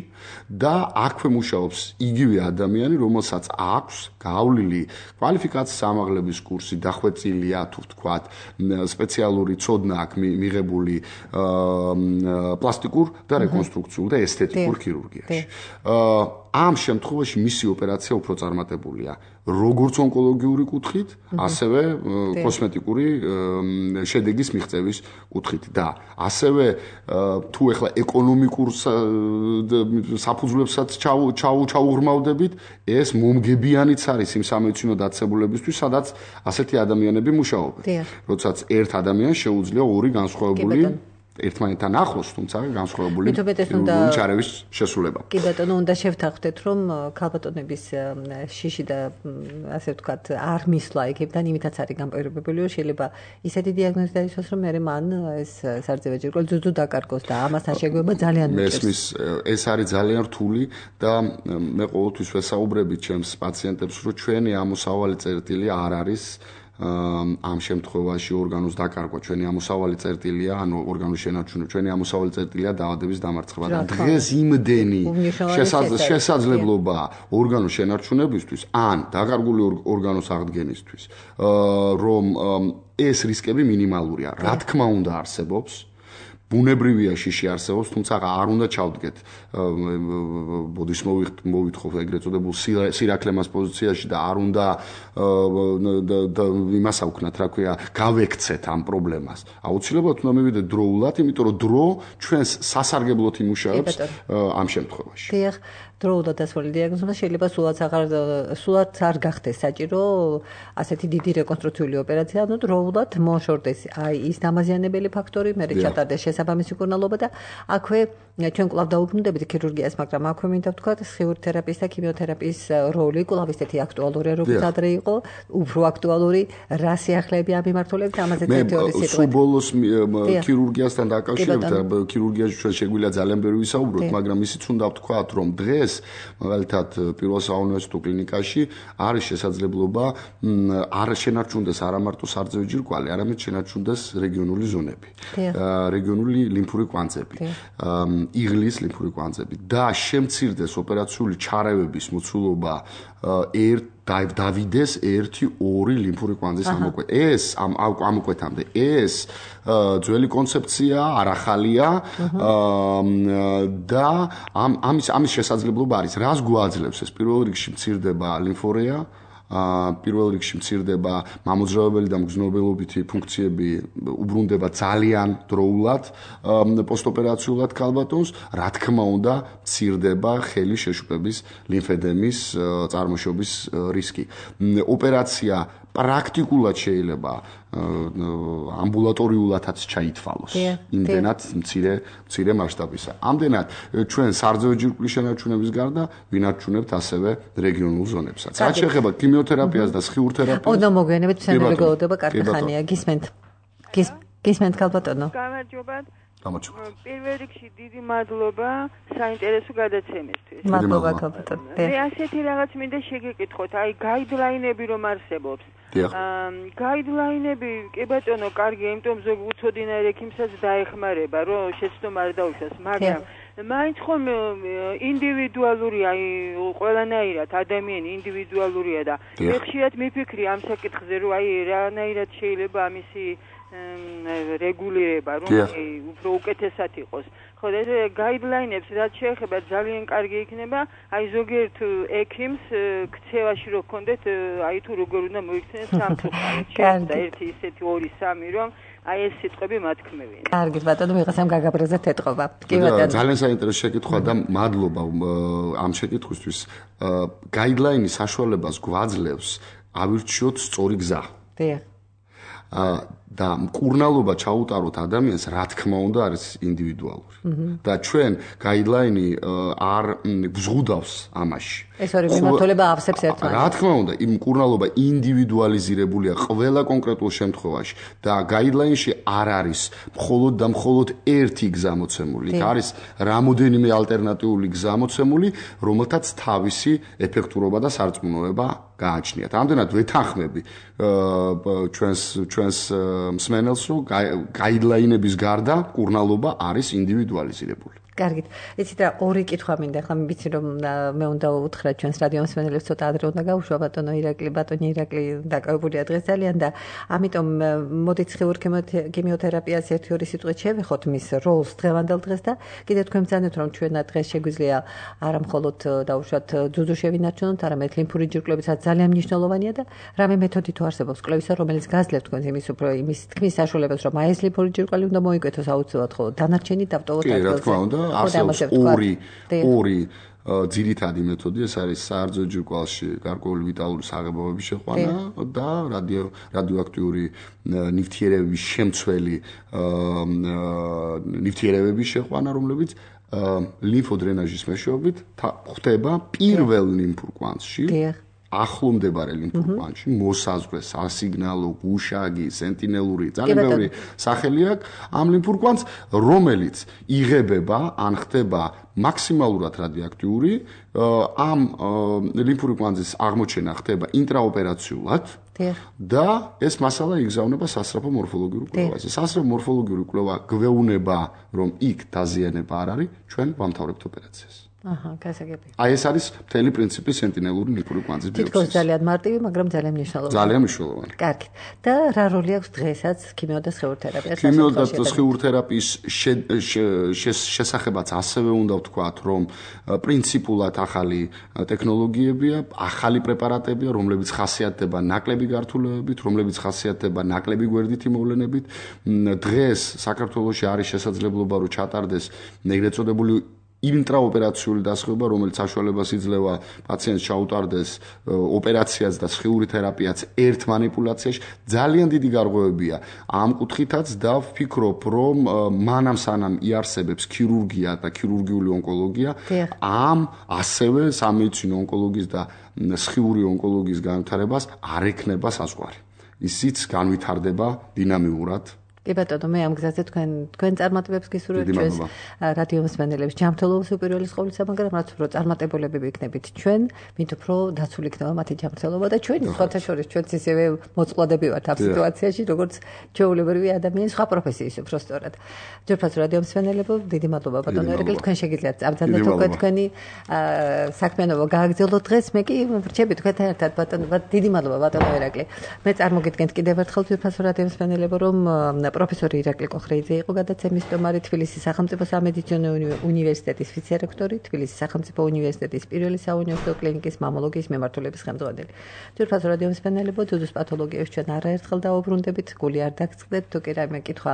და აქვე მუშაობს იგივე ადამიანი, რომელსაც აქვს გავლილი კვალიფიკაციის ამაღლების კურსი, დახვეწილია, თუ ვთქვათ, სპეციალური ცოდნა აქვს მიღებული პლასტიკურ და რეკონსტრუქციულ და ესთეტიკურ ქირურგიაში. ამ შემთხვევაში მისი ოპერაცია უფრო წარმატებულია, როგორც ონკოლოგიური კუთხით, ასევე კოსმეტიკური შედეგის მიღწევის კუთხით და ასევე თუ ეხლა ეკონომიკურ საფუძვლებსაც ჩაუღრმავდებით, ეს მომგებიანიც არის იმ სამედიცინო დაწესებულებისთვის, სადაც ასეთი ადამიანები მუშაობენ. როდესაც ერთ ადამიანს შეუძლია ორი განსხვავებული ერთმანეთთან ახლოს, თუმცა განსხვავებული ჩარევის შესრულება. კი ბატონო, უნდა შევთანხმდეთ, რომ ქალბატონების შიში და ასე ვთქვათ, არ მისვლა იქებიდან იმითაც არის გამპირობებული, რომ შეიძლება ისეთი დიაგნოზი დაისვას, რომ მე მან ეს სარძევე ჯირკველი ძუძუ დაკარგოს და ამასთან შეგუება ძალიან მესმის, ეს არის ძალიან რთული და მე ყოველთვის ვესაუბრები ჩემს პაციენტებს, რომ ჩვენი ამოსავალი წერტილი არ არის ამ შემთხვევაში ორგანოს დაკარგვა, ჩვენი ამოსავალი წერტილია, ანუ ორგანოს შენარჩუნება, ჩვენი ამოსავალი წერტილია დაავადების დამარცხება და დღეს იმდენი შესაძლებლობა ორგანოს შენარჩუნებისთვის, ან დაკარგული ორგანოს აღდგენისთვის, რომ ეს რისკები მინიმალურია. რა თქმა უნდა არსებობს, ბუნებრივია შიში არსებობს, თუმცა არ უნდა ჩავდგეთ ბოდის მოვითხოვ ეგრეთ წოდებულ სირაკლემას პოზიციაში და არ უნდა იმას ავქნათ, რა ქვია, გავექცეთ ამ პრობლემას. აუცილებლად უნდა მივიდეთ დროულად, იმიტომ რომ დრო ჩვენს სასარგებლოდ იმუშავებს ამ შემთხვევაში. დიახ, დროულად დასვალი დიაგნოზმა შეიძლება სულაც არ გახდეს საჭირო ასეთი დიდი რეკონსტრუქციული ოპერაცია, ანუ დროულად მოშორდეს აი ის დამაზიანებელი ფაქტორი, მე ჩატარდეს შესაბამისი მკურნალობა და აქვე ჩვენ კვლავ დაუბრუნდებით ქირურგიას, მაგრამ აქვე მინდა ვთქვათ, სხიურ თერაპიის და ქიმიოთერაპიის როლი კვლავ ისეთი აქტუალურია, როგორც ადრე იყო, უფრო აქტუალური, რა სიახლეები ამ მიმართულებით, ამაზე თეორიის სიტყვით. სულ ბოლოს ქირურგიასთან დაკავშირებით, ქირურგიაში ჩვენ შეგვიძლია ძალიან ბევრი ვისაუბროთ, მაგრამ ისიც უნდა ვთქვათ, რომ დღეს მაგალითად პირველ საუნივერსიტეტო კლინიკაში არის შესაძლებლობა არ შენარჩუნდეს არა მარტო სარძევი ჯირკვალი, არამედ შენარჩუნდეს რეგიონული ზონები, რეგიონული ლიმფური კვანძები, იღლის ლიმფური კვანძები და შემცირდეს ოპერაციული ჩარევების მოცულობა დავიდეს 1-2 ლიმფური კვანძის ამოკვეთა. ეს ამოკვეთამდე ეს ძველი კონცეფცია, არ ახალია და ამის შესაძლებლობა არის. რას გვაძლევს ეს? პირველ რიგში მცირდება ლიმფორეა, პირველ რიგში მცირდება მამოძრავებელი და მგრძნობელობითი ფუნქციები, უბრუნდება ძალიან დროულად პოსტოპერაციულად ქალბატონს, რა თქმა უნდა, მცირდება ხელი შეშუპების ლიმფედემის წარმოშობის რისკი. ოპერაცია პრაქტიკულად შეიძლება ამბულატორიულადაც ჩაითვალოს. იმდენად მცირე მასშტაბისა. ამდენად ჩვენ სარძევი ჯირკვლის შენარჩუნების გარდა ვინარჩუნებთ ასევე რეგიონულ ზონებსაც. რაც შეეხება ქიმიოთერაპიას და სხიურ თერაპიას. ოდნავ მოგვიანებით მცენარე გლოდება კარგი ხანია. გისმენთ ქალბატონო. გამარჯობათ. გამარჯობა. პირველ რიგში დიდი მადლობა საინტერესო გადაცემისთვის. მადლობა ქალბატონო. მე ასეთი რაღაც მინდა შეგეკითხოთ, აი გაიდლაინები რომ არსებობს. გაიდლაინები, კი ბატონო, კარგია, იმიტომ ზოგ უცოდინარ ექიმსაც დაეხმარება, რომ შეცდომა არ დაუშვას, მაგრამ მაინც ხომ ინდივიდუალურია, აი ყველანაირად ადამიანი ინდივიდუალურია და ხშირად მიფიქრი ამ საკითხზე, რომ აი რანაირად შეიძლება ამისი რეგულირება, რომ უფრო უკეთესად იყოს. ხო, ეს გაიდლაინებს რაც შეეხება ძალიან კარგი იქნება, აი ზოგიერთ ექიმს ქცევაში რო გქონდეთ, აი თუ როგორ უნდა მოიქცნენ სამწუხაროდ. და ერთი ისეთი 2-3 რომ აი ეს სიტყვები მათქმევენ. კარგი ბატონო, ვიღაცამ გაგაბრაზეთ ეთყობა. კი ბატონო. ძალიან საინტერესო შეკითხვა და მადლობა ამ შეკითხვისთვის. გაიდლაინის საშუალებას გვაძლევს ავირჩიოთ სწორი გზა. დიახ. და მკურნალობა ჩაუტაროთ ადამიანს, რა თქმა უნდა, არის ინდივიდუალური. და ჩვენ გაიდლაინი არ გვზღუდავს ამაში. ეს ორი მიმართულება ავსებს ერთმანეთს. რა თქმა უნდა, იმ მკურნალობა ინდივიდუალიზირებულია ყველა კონკრეტულ შემთხვევაში და გაიდლაინში არ არის მხოლოდ და მხოლოდ ერთი გზა მოცემული. არის რამოდენიმე ალტერნატიული გზა მოცემული, რომელთაც თავისი ეფექტურობა და სარწმუნოება გააჩნიათ. ამდენად ვეთანხმები ჩვენს მსმენელს, რომ გაიდლაინების გარდა მკურნალობა არის ინდივიდუალიზირებული. კარგით. იცით რა, ორი კითხვა მინდა, ხა ვიცი რომ მე უნდა უთხრა ჩვენს რადიო მსმენელებს ცოტა ადრე უნდა გავუშვა ბატონო ირაკლი დაკავებულია დღეს ძალიან და ამიტომ მოდით ხიურ ქიმიოთერაპიას 1-2 სიტყვით შევეხოთ მის როლს დღევანდელ დღეს და კიდევ თქვენ ბრძანეთ რომ ჩვენად დღეს შეგვიძლია არა მხოლოდ დაუშვათ ძუძუ შევინარჩუნოთ, არამედ ლიმფური ჯირკვლებიცაც ძალიან მნიშვნელოვანია და რამე მეთოდი თუ არსებობს კვლევისა, რომელიც გაძლევთ თქვენს იმის თქმის საშუალებას, რომ აი ეს ლიმფური ჯირკვალი უნდა მოიკვეთოს აუცილებლად, ხოლო დანარჩენი დავტოვოთ ადგილზე. კი, რა თქმა უნდა, არსებობს ორი ძირითადი მეთოდი, ეს არის საარძო ჯირკვალში გარკვეული ვიტალური საღებავების შეყვანა და რადიოაქტიური ნივთიერებების შემცველი ნივთიერებების შეყვანა, რომლებიც ლიმფოდრენაჟის მეშვეობით ხდება პირველ ლიმფურ კვანძში. ახლომდებარე ლიმფურ კვანძში მოსაზღვრე სასიგნალო, გუშაგი, სენტინელური, ძალიან ბევრი სახელი აქვს ამ ლიმფურ კვანძს, რომელიც იღებება ან ხდება მაქსიმალურად რადიოაქტიური, ამ ლიმფური კვანძის აღმოჩენა ხდება ინტრაოპერაციულად და ეს მასალა იგზავნება სასწრაფო მორფოლოგიურ კვლევაზე. სასწრაფო მორფოლოგიური კვლევა გვეუბნება, რომ იქ დაზიანება არ არის, ჩვენ ვამთავრებთ ოპერაციას. გასაგები. აი ეს არის მთელი პრინციპი სენტინელური ლიმფური კვანძის ბიოპსიის. თითქოს ძალიან მარტივი, მაგრამ ძალიან მნიშვნელოვანი. ძალიან მნიშვნელოვანი. კარგი. და რა როლი აქვს დღესაც ქიმიო და სხიურ თერაპიას? ქიმიო და სხიურ თერაპიის შესახებაც ასევე უნდა ვთქვათ, რომ პრინციპულად ახალი ტექნოლოგიებია, ახალი პრეპარატებია, რომლებიც ხასიათდება ნაკლები გართულებებით, რომლებიც ხასიათდება ნაკლები გვერდითი მოვლენებით. დღეს საქართველოში არის შესაძლებლობა, რომ ჩატარდეს ეგრეთ წოდებული ინტრაოპერაციული დასხება, რომელიც საშუალებას იძლევა პაციენტს ჩაუტარდეს ოპერაციაც და სხიური თერაპიაც ერთ მანიპულაციაში. ძალიან დიდი გარღვევებია ამ კუთხითაც და ვფიქრობ, რომ მანამ სანამ იარსებებს ქირურგია და ქირურგიული ონკოლოგია, ამ ასევე სამედიცინო ონკოლოგიის და სხიური ონკოლოგიის განვითარებას არ ექნება საზღვარი. ისიც განვითარდება დინამიურად. კი ბატონო, მე ამ გზაზე თქვენ წარმატებებს გისურვებთ ჩვენს რადიო მსმენელებს. ჯანმრთელობის უპირველეს ყოვლისა, მაგრამ რაც უფრო წარმატებულები ვიქნებით ჩვენ, მით უფრო დაცული იქნება მათი ჯანმრთელობა და ჩვენი სხვათა შორის ჩვენც ისევე მოწყვლადები ვართ ამ სიტუაციაში, როგორც ჩვეულებრივი ადამიანი სხვა პროფესიის უფრო სწორად. ჯერფას რადიო მსმენელებო, დიდი მადლობა ბატონო ირაკლი, თქვენ შეგიძლიათ წამძანდეთ უკვე თქვენი საქმიანობა გააგრძელოთ დღეს. მე კი ვრჩები თქვენთან ერთად ბატონო, დიდი მადლობა ბატონო ირაკლი. მე წარმოგიდგენთ კიდევ ერთხელ ჯერფას რადიო მსმენელებო, რომ პროფესორი ირაკლი კოხრეიძე იყო გადაცემის სტუმარი, თბილისის სახელმწიფო სამედიცინო უნივერსიტეტის ვიცე-რექტორი, თბილისის სახელმწიფო უნივერსიტეტის პირველი საუნივერსიტეტო კლინიკის მამოლოგიის მიმართულების ხელმძღვანელი. ჯერფას რადიო მსმენელებო, ძუძუს პათოლოგიებს ჩვენ არაერთხელ დაუბრუნდებით, გული არ დაგწყდეთ, თუ კი რაიმე კითხვა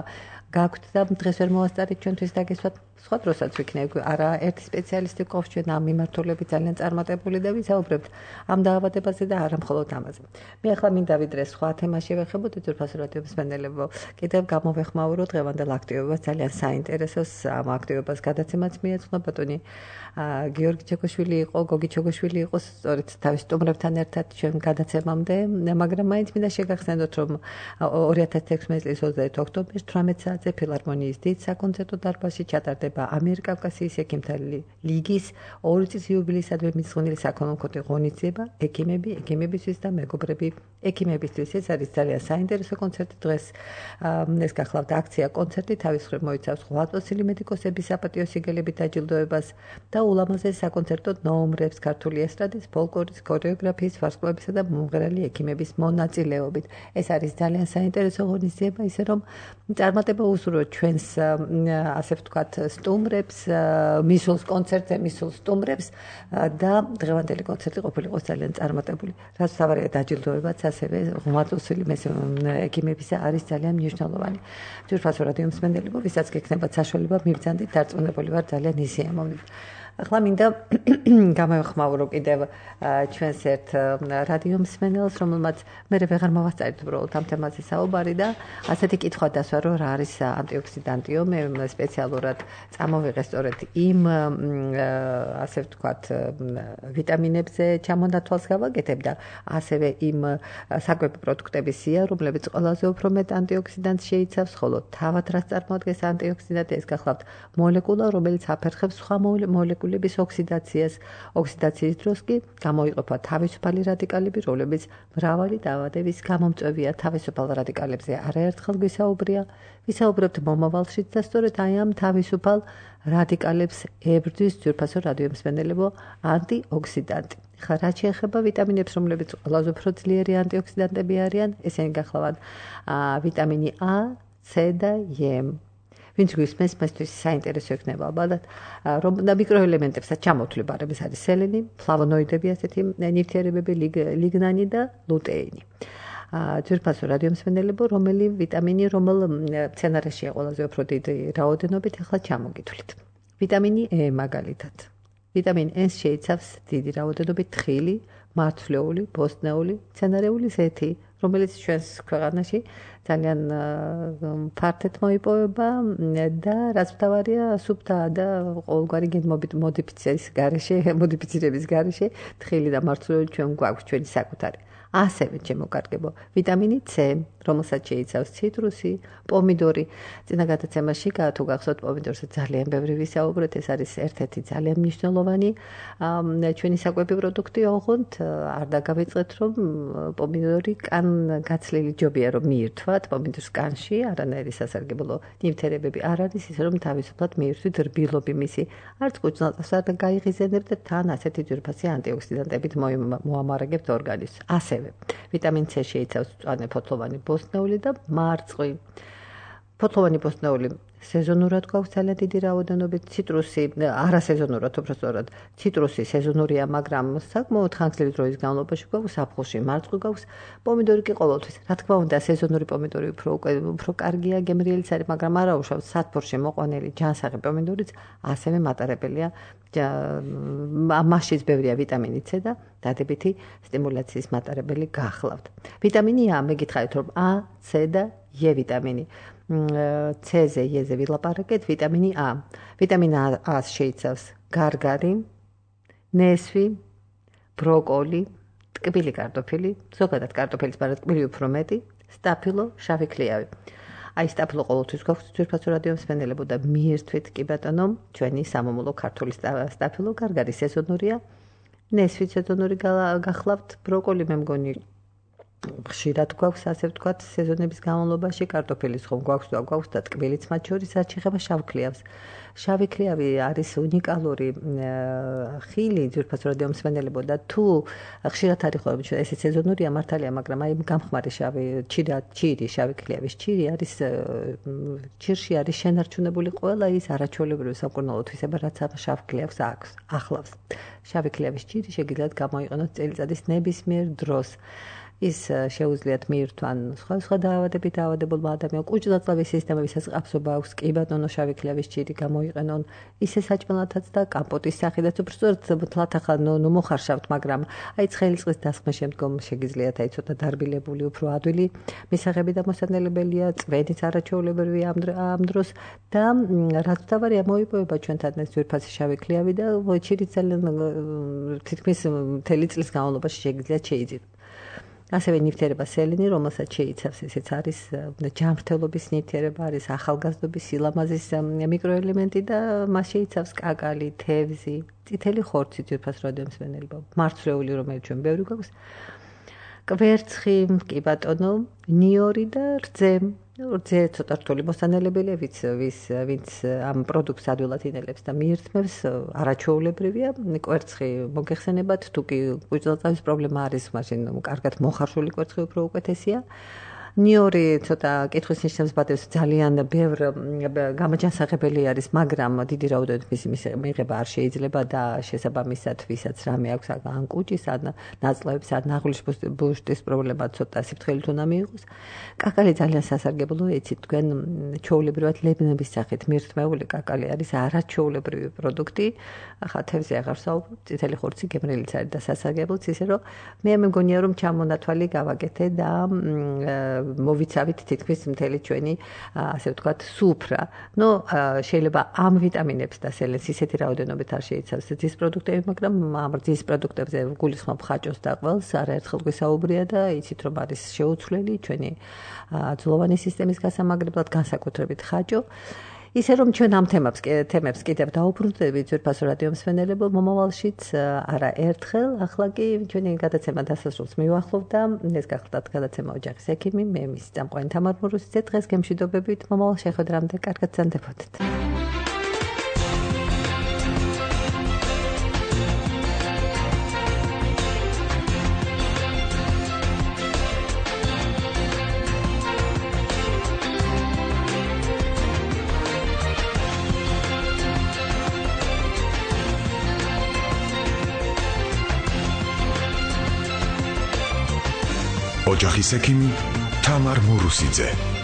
გაქვთ და დღეს ვერ მოასწარით ჩვენთვის დაგესვათ, სხვა დროსაც ვიქნებ არა ერთი სპეციალისტი გვყავს ჩვენ ამ მიმართულებით ძალიან წარმატებული და ვისაუბრებთ ამ დაავადებაზე და არა მხოლოდ ამაზე. მე ახლა მინდა ვიდრე სხვა თემაში ვეხებოდ, ჯერფას რადიო მსმენელებო, კიდევ გამოვეხმაუროთ დღევანდელ აქტივობას, ძალიან საინტერესოს ამ აქტივობას გადაცემაც მიეძღვნა ბატონი გიორგი ჩეკოშვილი იყო, გოგი ჩეკოშვილი იყო სწორედ თავის სტუმრებთან ერთად ჩვენ გადაცემამდე, მაგრამ მაინც მინდა შეგახსენოთ, რომ 2016 წლის 28 ოქტომბერს 18 საათზე ფილარმონიის დიდ საკონცერტო დარბაზში ჩატარდება ჩატარდება ამიერკავკასიის ექიმთა ლიგის 2 წლის იუბილეისადმი მიძღვნილი საქველმოქმედო ღონისძიება ექიმებისთვის და მეგობრები ექიმებისთვის. ეს არის ძალიან საინტერესო კონცერტი დღეს. ეს გახლავთ აქცია კონცერტი თავის მხრივ მოიცავს 8 მედიკოსების საპატიო სიგელებით დაჯილდოებას და ულამაზეს საკონცერტო ნომრებს ქართული ესტრადის, ფოლკლორის, ქორეოგრაფიის, ვარსკვლავებისა და მომღერალი ექიმების მონაწილეობით. ეს არის ძალიან საინტერესო ღონისძიება, ისე რომ წარმატება უსურვოთ ჩვენს ასე ვთქვათ სტუმრებს, მისულს კონცერტზე, მისულს სტუმრებს და დღევანდელი კონცერტი ყოფილიყოს ძალიან წარმატებული. რაც თავარია დაჯილდოებაც ასევე ღმრთოსილი ექიმებისა არის ძალიან მნიშვნელოვანი. ჯერფასო რადიო მსმენელებო, ვისაც გექნებათ საშუალება მივძანდით, დარწმუნებული ვარ ძალიან ისიამოვნებთ. ახლა მინდა გამოვხმაურო კიდევ ჩვენს ერთ რადიო მსმენელს, რომელმაც მე ვეღარ მოვასწარით უბრალოდ ამ თემაზე საუბარი და ასეთი კითხვა დასვა, რომ რა არის ანტიოქსიდანტიო, მე სპეციალურად წამოვიღე სწორედ იმ ასე ვთქვათ ვიტამინებზე ჩამონათვალს გავაკეთებ და ასევე იმ საკვები პროდუქტების სია, რომლებიც ყველაზე უფრო მეტ ანტიოქსიდანტს შეიცავს, ხოლო თავად რაც წარმოადგენს ანტიოქსიდანტი, ეს გახლავთ მოლეკულა, რომელიც აფერხებს სხვა მოლეკულების ოქსიდაციას. ოქსიდაციის დროს კი გამოიყოფა თავისუფალი რადიკალები, რომლებიც მრავალი დაავადების გამომწვევია. თავისუფალ რადიკალებზე არაერთხელ ვისაუბრებთ მომავალშიც და სწორედ აი ამ თავისუფალ რადიკალებს ებრძვის ძვირფასო რადიო მსმენელებო ანტიოქსიდანტი. ხა რაც შეეხება ვიტამინებს, რომლებიც ყველაზე უფრო ძლიერი ანტიოქსიდანტები არიან, ესენი გახლავთ ვიტამინი A, C და E. ვინც გვისმენს, მასთვის საინტერესო იქნება ალბათ, რომ და მიკროელემენტებსაც ჩამოთვლება, არის სელენი, ფლავონოიდები, ასეთი ნივთიერებები, ლიგნანი და ლუტეინი. ძვირფასო რადიო მსმენელებო, რომელი ვიტამინი, რომელ მცენარეშია ყველაზე უფრო დიდი რაოდენობით, ახლა ჩამოგითვლით. ვიტამინი E მაგალითად. ვიტამინ E შეიცავს დიდი რაოდენობით თხილი, მარცვლეული, ბოსტნეული, მცენარეული ზეთი, რომელიც ჩვენს ქვეყანაში ძალიან ფართედ მოიპოვება და რაც მთავარია, სუფთა და ყოველგვარი მოდიფიცირების გარეშე თხილი და მარცვლეული ჩვენ გვაქვს ჩვენი საკუთარი. ასევე შემოკარგებო ვიტამინი C, რომელსაც შეიცავს ციტრუსი, პომიდორი. წინა გადაცემაში თუ გახსოვთ, პომიდორზე ძალიან ბევრი ვისაუბრეთ, ეს არის ერთ-ერთი ძალიან მნიშვნელოვანი ჩვენი საკვები პროდუქტი, ოღონდ არ დაგავიწყეთ, რომ პომიდორი კან-გაცლილი ჯობია რომ მიირთვათ, პომიდორს კანში არანაირი სასარგებლო ნივთიერებები არ არის, ისე რომ თავისუფლად მიირთვით რბილობი მისი. არც კუჭ-ნაწლავს არ გაიღიზენებთ და თან ასეთი ძვირფასი ანტიოქსიდანტებით მოამარაგებთ ორგანიზმს. ასევე ვიტამინ C შეიცავს მწვანე ფოთლოვანი ბოსტნეული და მარწყვი. ფოთლოვანი ბოსტნეული სეზონურად გვაქვს ძალიან დიდი რაოდენობით, ციტრუსი არასეზონურად, უბრალოდ ციტრუსი სეზონურია, მაგრამ საკმაოდ ხანგრძლივი დროის განმავლობაში გვაქვს აფხულში, მარწყვი გვაქვს, პომიდორი კი ყოველთვის. რა თქმა უნდა, სეზონური პომიდორი უფრო კარგია, გემრიელიც არის, მაგრამ არა უშავს სათბურში მოყვანილი ჯანსაღი პომიდორიც ასევე მატარებელია. მასშიც ბევრია ვიტამინი C და დადებითი სტიმულაციის მატარებელი გახლავთ. ვიტამინი A, მე გითხარით რომ A, C და E ვიტამინი. C-ზე, E-ზე ვილაპარაკეთ, ვიტამინი A. ვიტამინ A-ს შეიცავს გარგარი, ნესვი, ბროკოლი, ტკბილი კარტოფილი, ზოგადად კარტოფილის, მაგრამ ტკბილი უფრო მეტი, სტაფილო, შავი ქლიავი. აი სტაფილო ყოველთვის გვაქვს ძვირფასო რადიო მსმენელებო და მიირთვით კი ბატონო, ჩვენი სამომავლო ქართული სტაფილო, გარგარი სეზონურია, ნესვი სეზონური გახლავთ, ბროკოლი მე მგონი ხშირად გვაქვს, ასე ვთქვათ, სეზონების განმავლობაში, კარტოფილის ხომ გვაქვს და გვაქვს და ტკბილიც მათ შორის, რაც შეეხება შავ ქლიავს. შავი ქლიავი არის უნიკალური ხილი ძვირფასო რადიო მსმენელებო და თუ ხშირად არის ხოლმე ეს სეზონურია მართალია, მაგრამ აი გამხმარი ჩირი, შავი ქლიავის ჩირი არის ჩირში არის შენარჩუნებული ყველა ის არაჩვეულებრივი სამკურნალო თვისება, რაც ამ შავ ქლიავს ახლავს. შავი ქლიავის ჩირი შეგიძლიათ გამოიყენოთ წელიწადის ნებისმიერ დროს. ის შეუძლიათ მიირთვან სხვა დაავადებით დაავადებულმა ადამიანმა, კუჭ-ნაწლავის სისტემებისაც ყაფსობა აქვს, კი ბატონო, შავი ქლიავის ჭირი გამოიყენონ, ისე საჭმელათაც და კამპოტის სახიდაც, უბრალოდ თლათ ახლა მოხარშავთ, მაგრამ აი ცხელი წყლის დასხმის შემდგომ შეგიძლიათ აი ცოტა დარბილებული, უფრო ადვილი მისაღები დამოსანელებელია, წვენიც არაჩვეულებრივი ამ დროს და რაც თავარია მოიპოვება ჩვენთან ეს ძვირფასი შავი ქლიავი და ჭირი ძალიან თითქმის მთელი წლის განმავლობაში შეგიძლიათ შეიძინოთ. ასევე ნივთიერება სელენი, რომელსაც შეიცავს, ესეც არის ჯანმრთელობის ნივთიერება, არის ახალგაზრდობის სილამაზის მიკროელემენტი და მას შეიცავს კაკალი, თევზი, წითელი ხორცი, ძვირფას რადიომსვენელობა, მარცვლეული, რომელიც ჩვენ ბევრი გვაქვს, კვერცხი, კი ბატონო, ნიორი და რძე. რძე ცოტა რთული მოსანელებელია, ვინც ამ პროდუქტს ადვილად ინელებს და მიირთმევს, არაჩვეულებრივია. კვერცხი მოგეხსენებათ, თუ კი ღვიძლოწავის პრობლემა არის, მაშინ კარგად მოხარშული კვერცხი უფრო უკეთესია. ნიორი ცოტა კითხვის ნიშნებს ბადებს, ძალიან ბევრ გამაჯანსაღებელი არის, მაგრამ დიდი რაოდენობით მისი მიღება არ შეიძლება და შესაბამისად, ვისაც რამე აქვს ან კუჭის, ან ნაწლავების, ან ნაღლის ბუშტის პრობლემა ცოტა სიფრთხილით უნდა მიიღოს. კაკალი ძალიან სასარგებლოა, იცით თქვენ, ჩვეულებრივად ლებნების სახით მირთმეული კაკალი არის არაჩვეულებრივი პროდუქტი. ახლა თევზი აღარ ვსაუბრობ, წითელი ხორცი გემრიელიც არის და სასარგებლოც, ისე რომ მე მეგონია რომ ჩამონათვალი გავაკეთე და მოვიცავით თითქმის მთელი ჩვენი, ასე ვთქვათ, სუფრა. შეიძლება ამ ვიტამინებს და სელენს ისეთი რაოდენობით არ შეიცავს ძის პროდუქტები, მაგრამ ამ ძის პროდუქტებზე გულისხმობ ხაჭოს და ყველს, არაერთხელ გვისაუბრია და იცით რომ არის შეუცვლელი ჩვენი ძვლოვანი სისტემის გასამაგრებლად, განსაკუთრებით ხაჭო. ისე რომ ჩვენ ამ თემებს კიდევ დაუბრუნდებით ძვირფასო რადიომსვენელებო მომავალშიც არა ერთხელ, ახლა კი ჩვენი გადაცემა დასასრულს მივახლოვ და ეს გახლდათ გადაცემა ოჯახის ექიმი, მე მის წამყვანი თამარ მურუსიძე, დღეს გემშვიდობებით, მომავალ შეხვედრამდე კარგად ზანდებოდეთ. ოჯახის ექიმი თამარ მურუსიძე.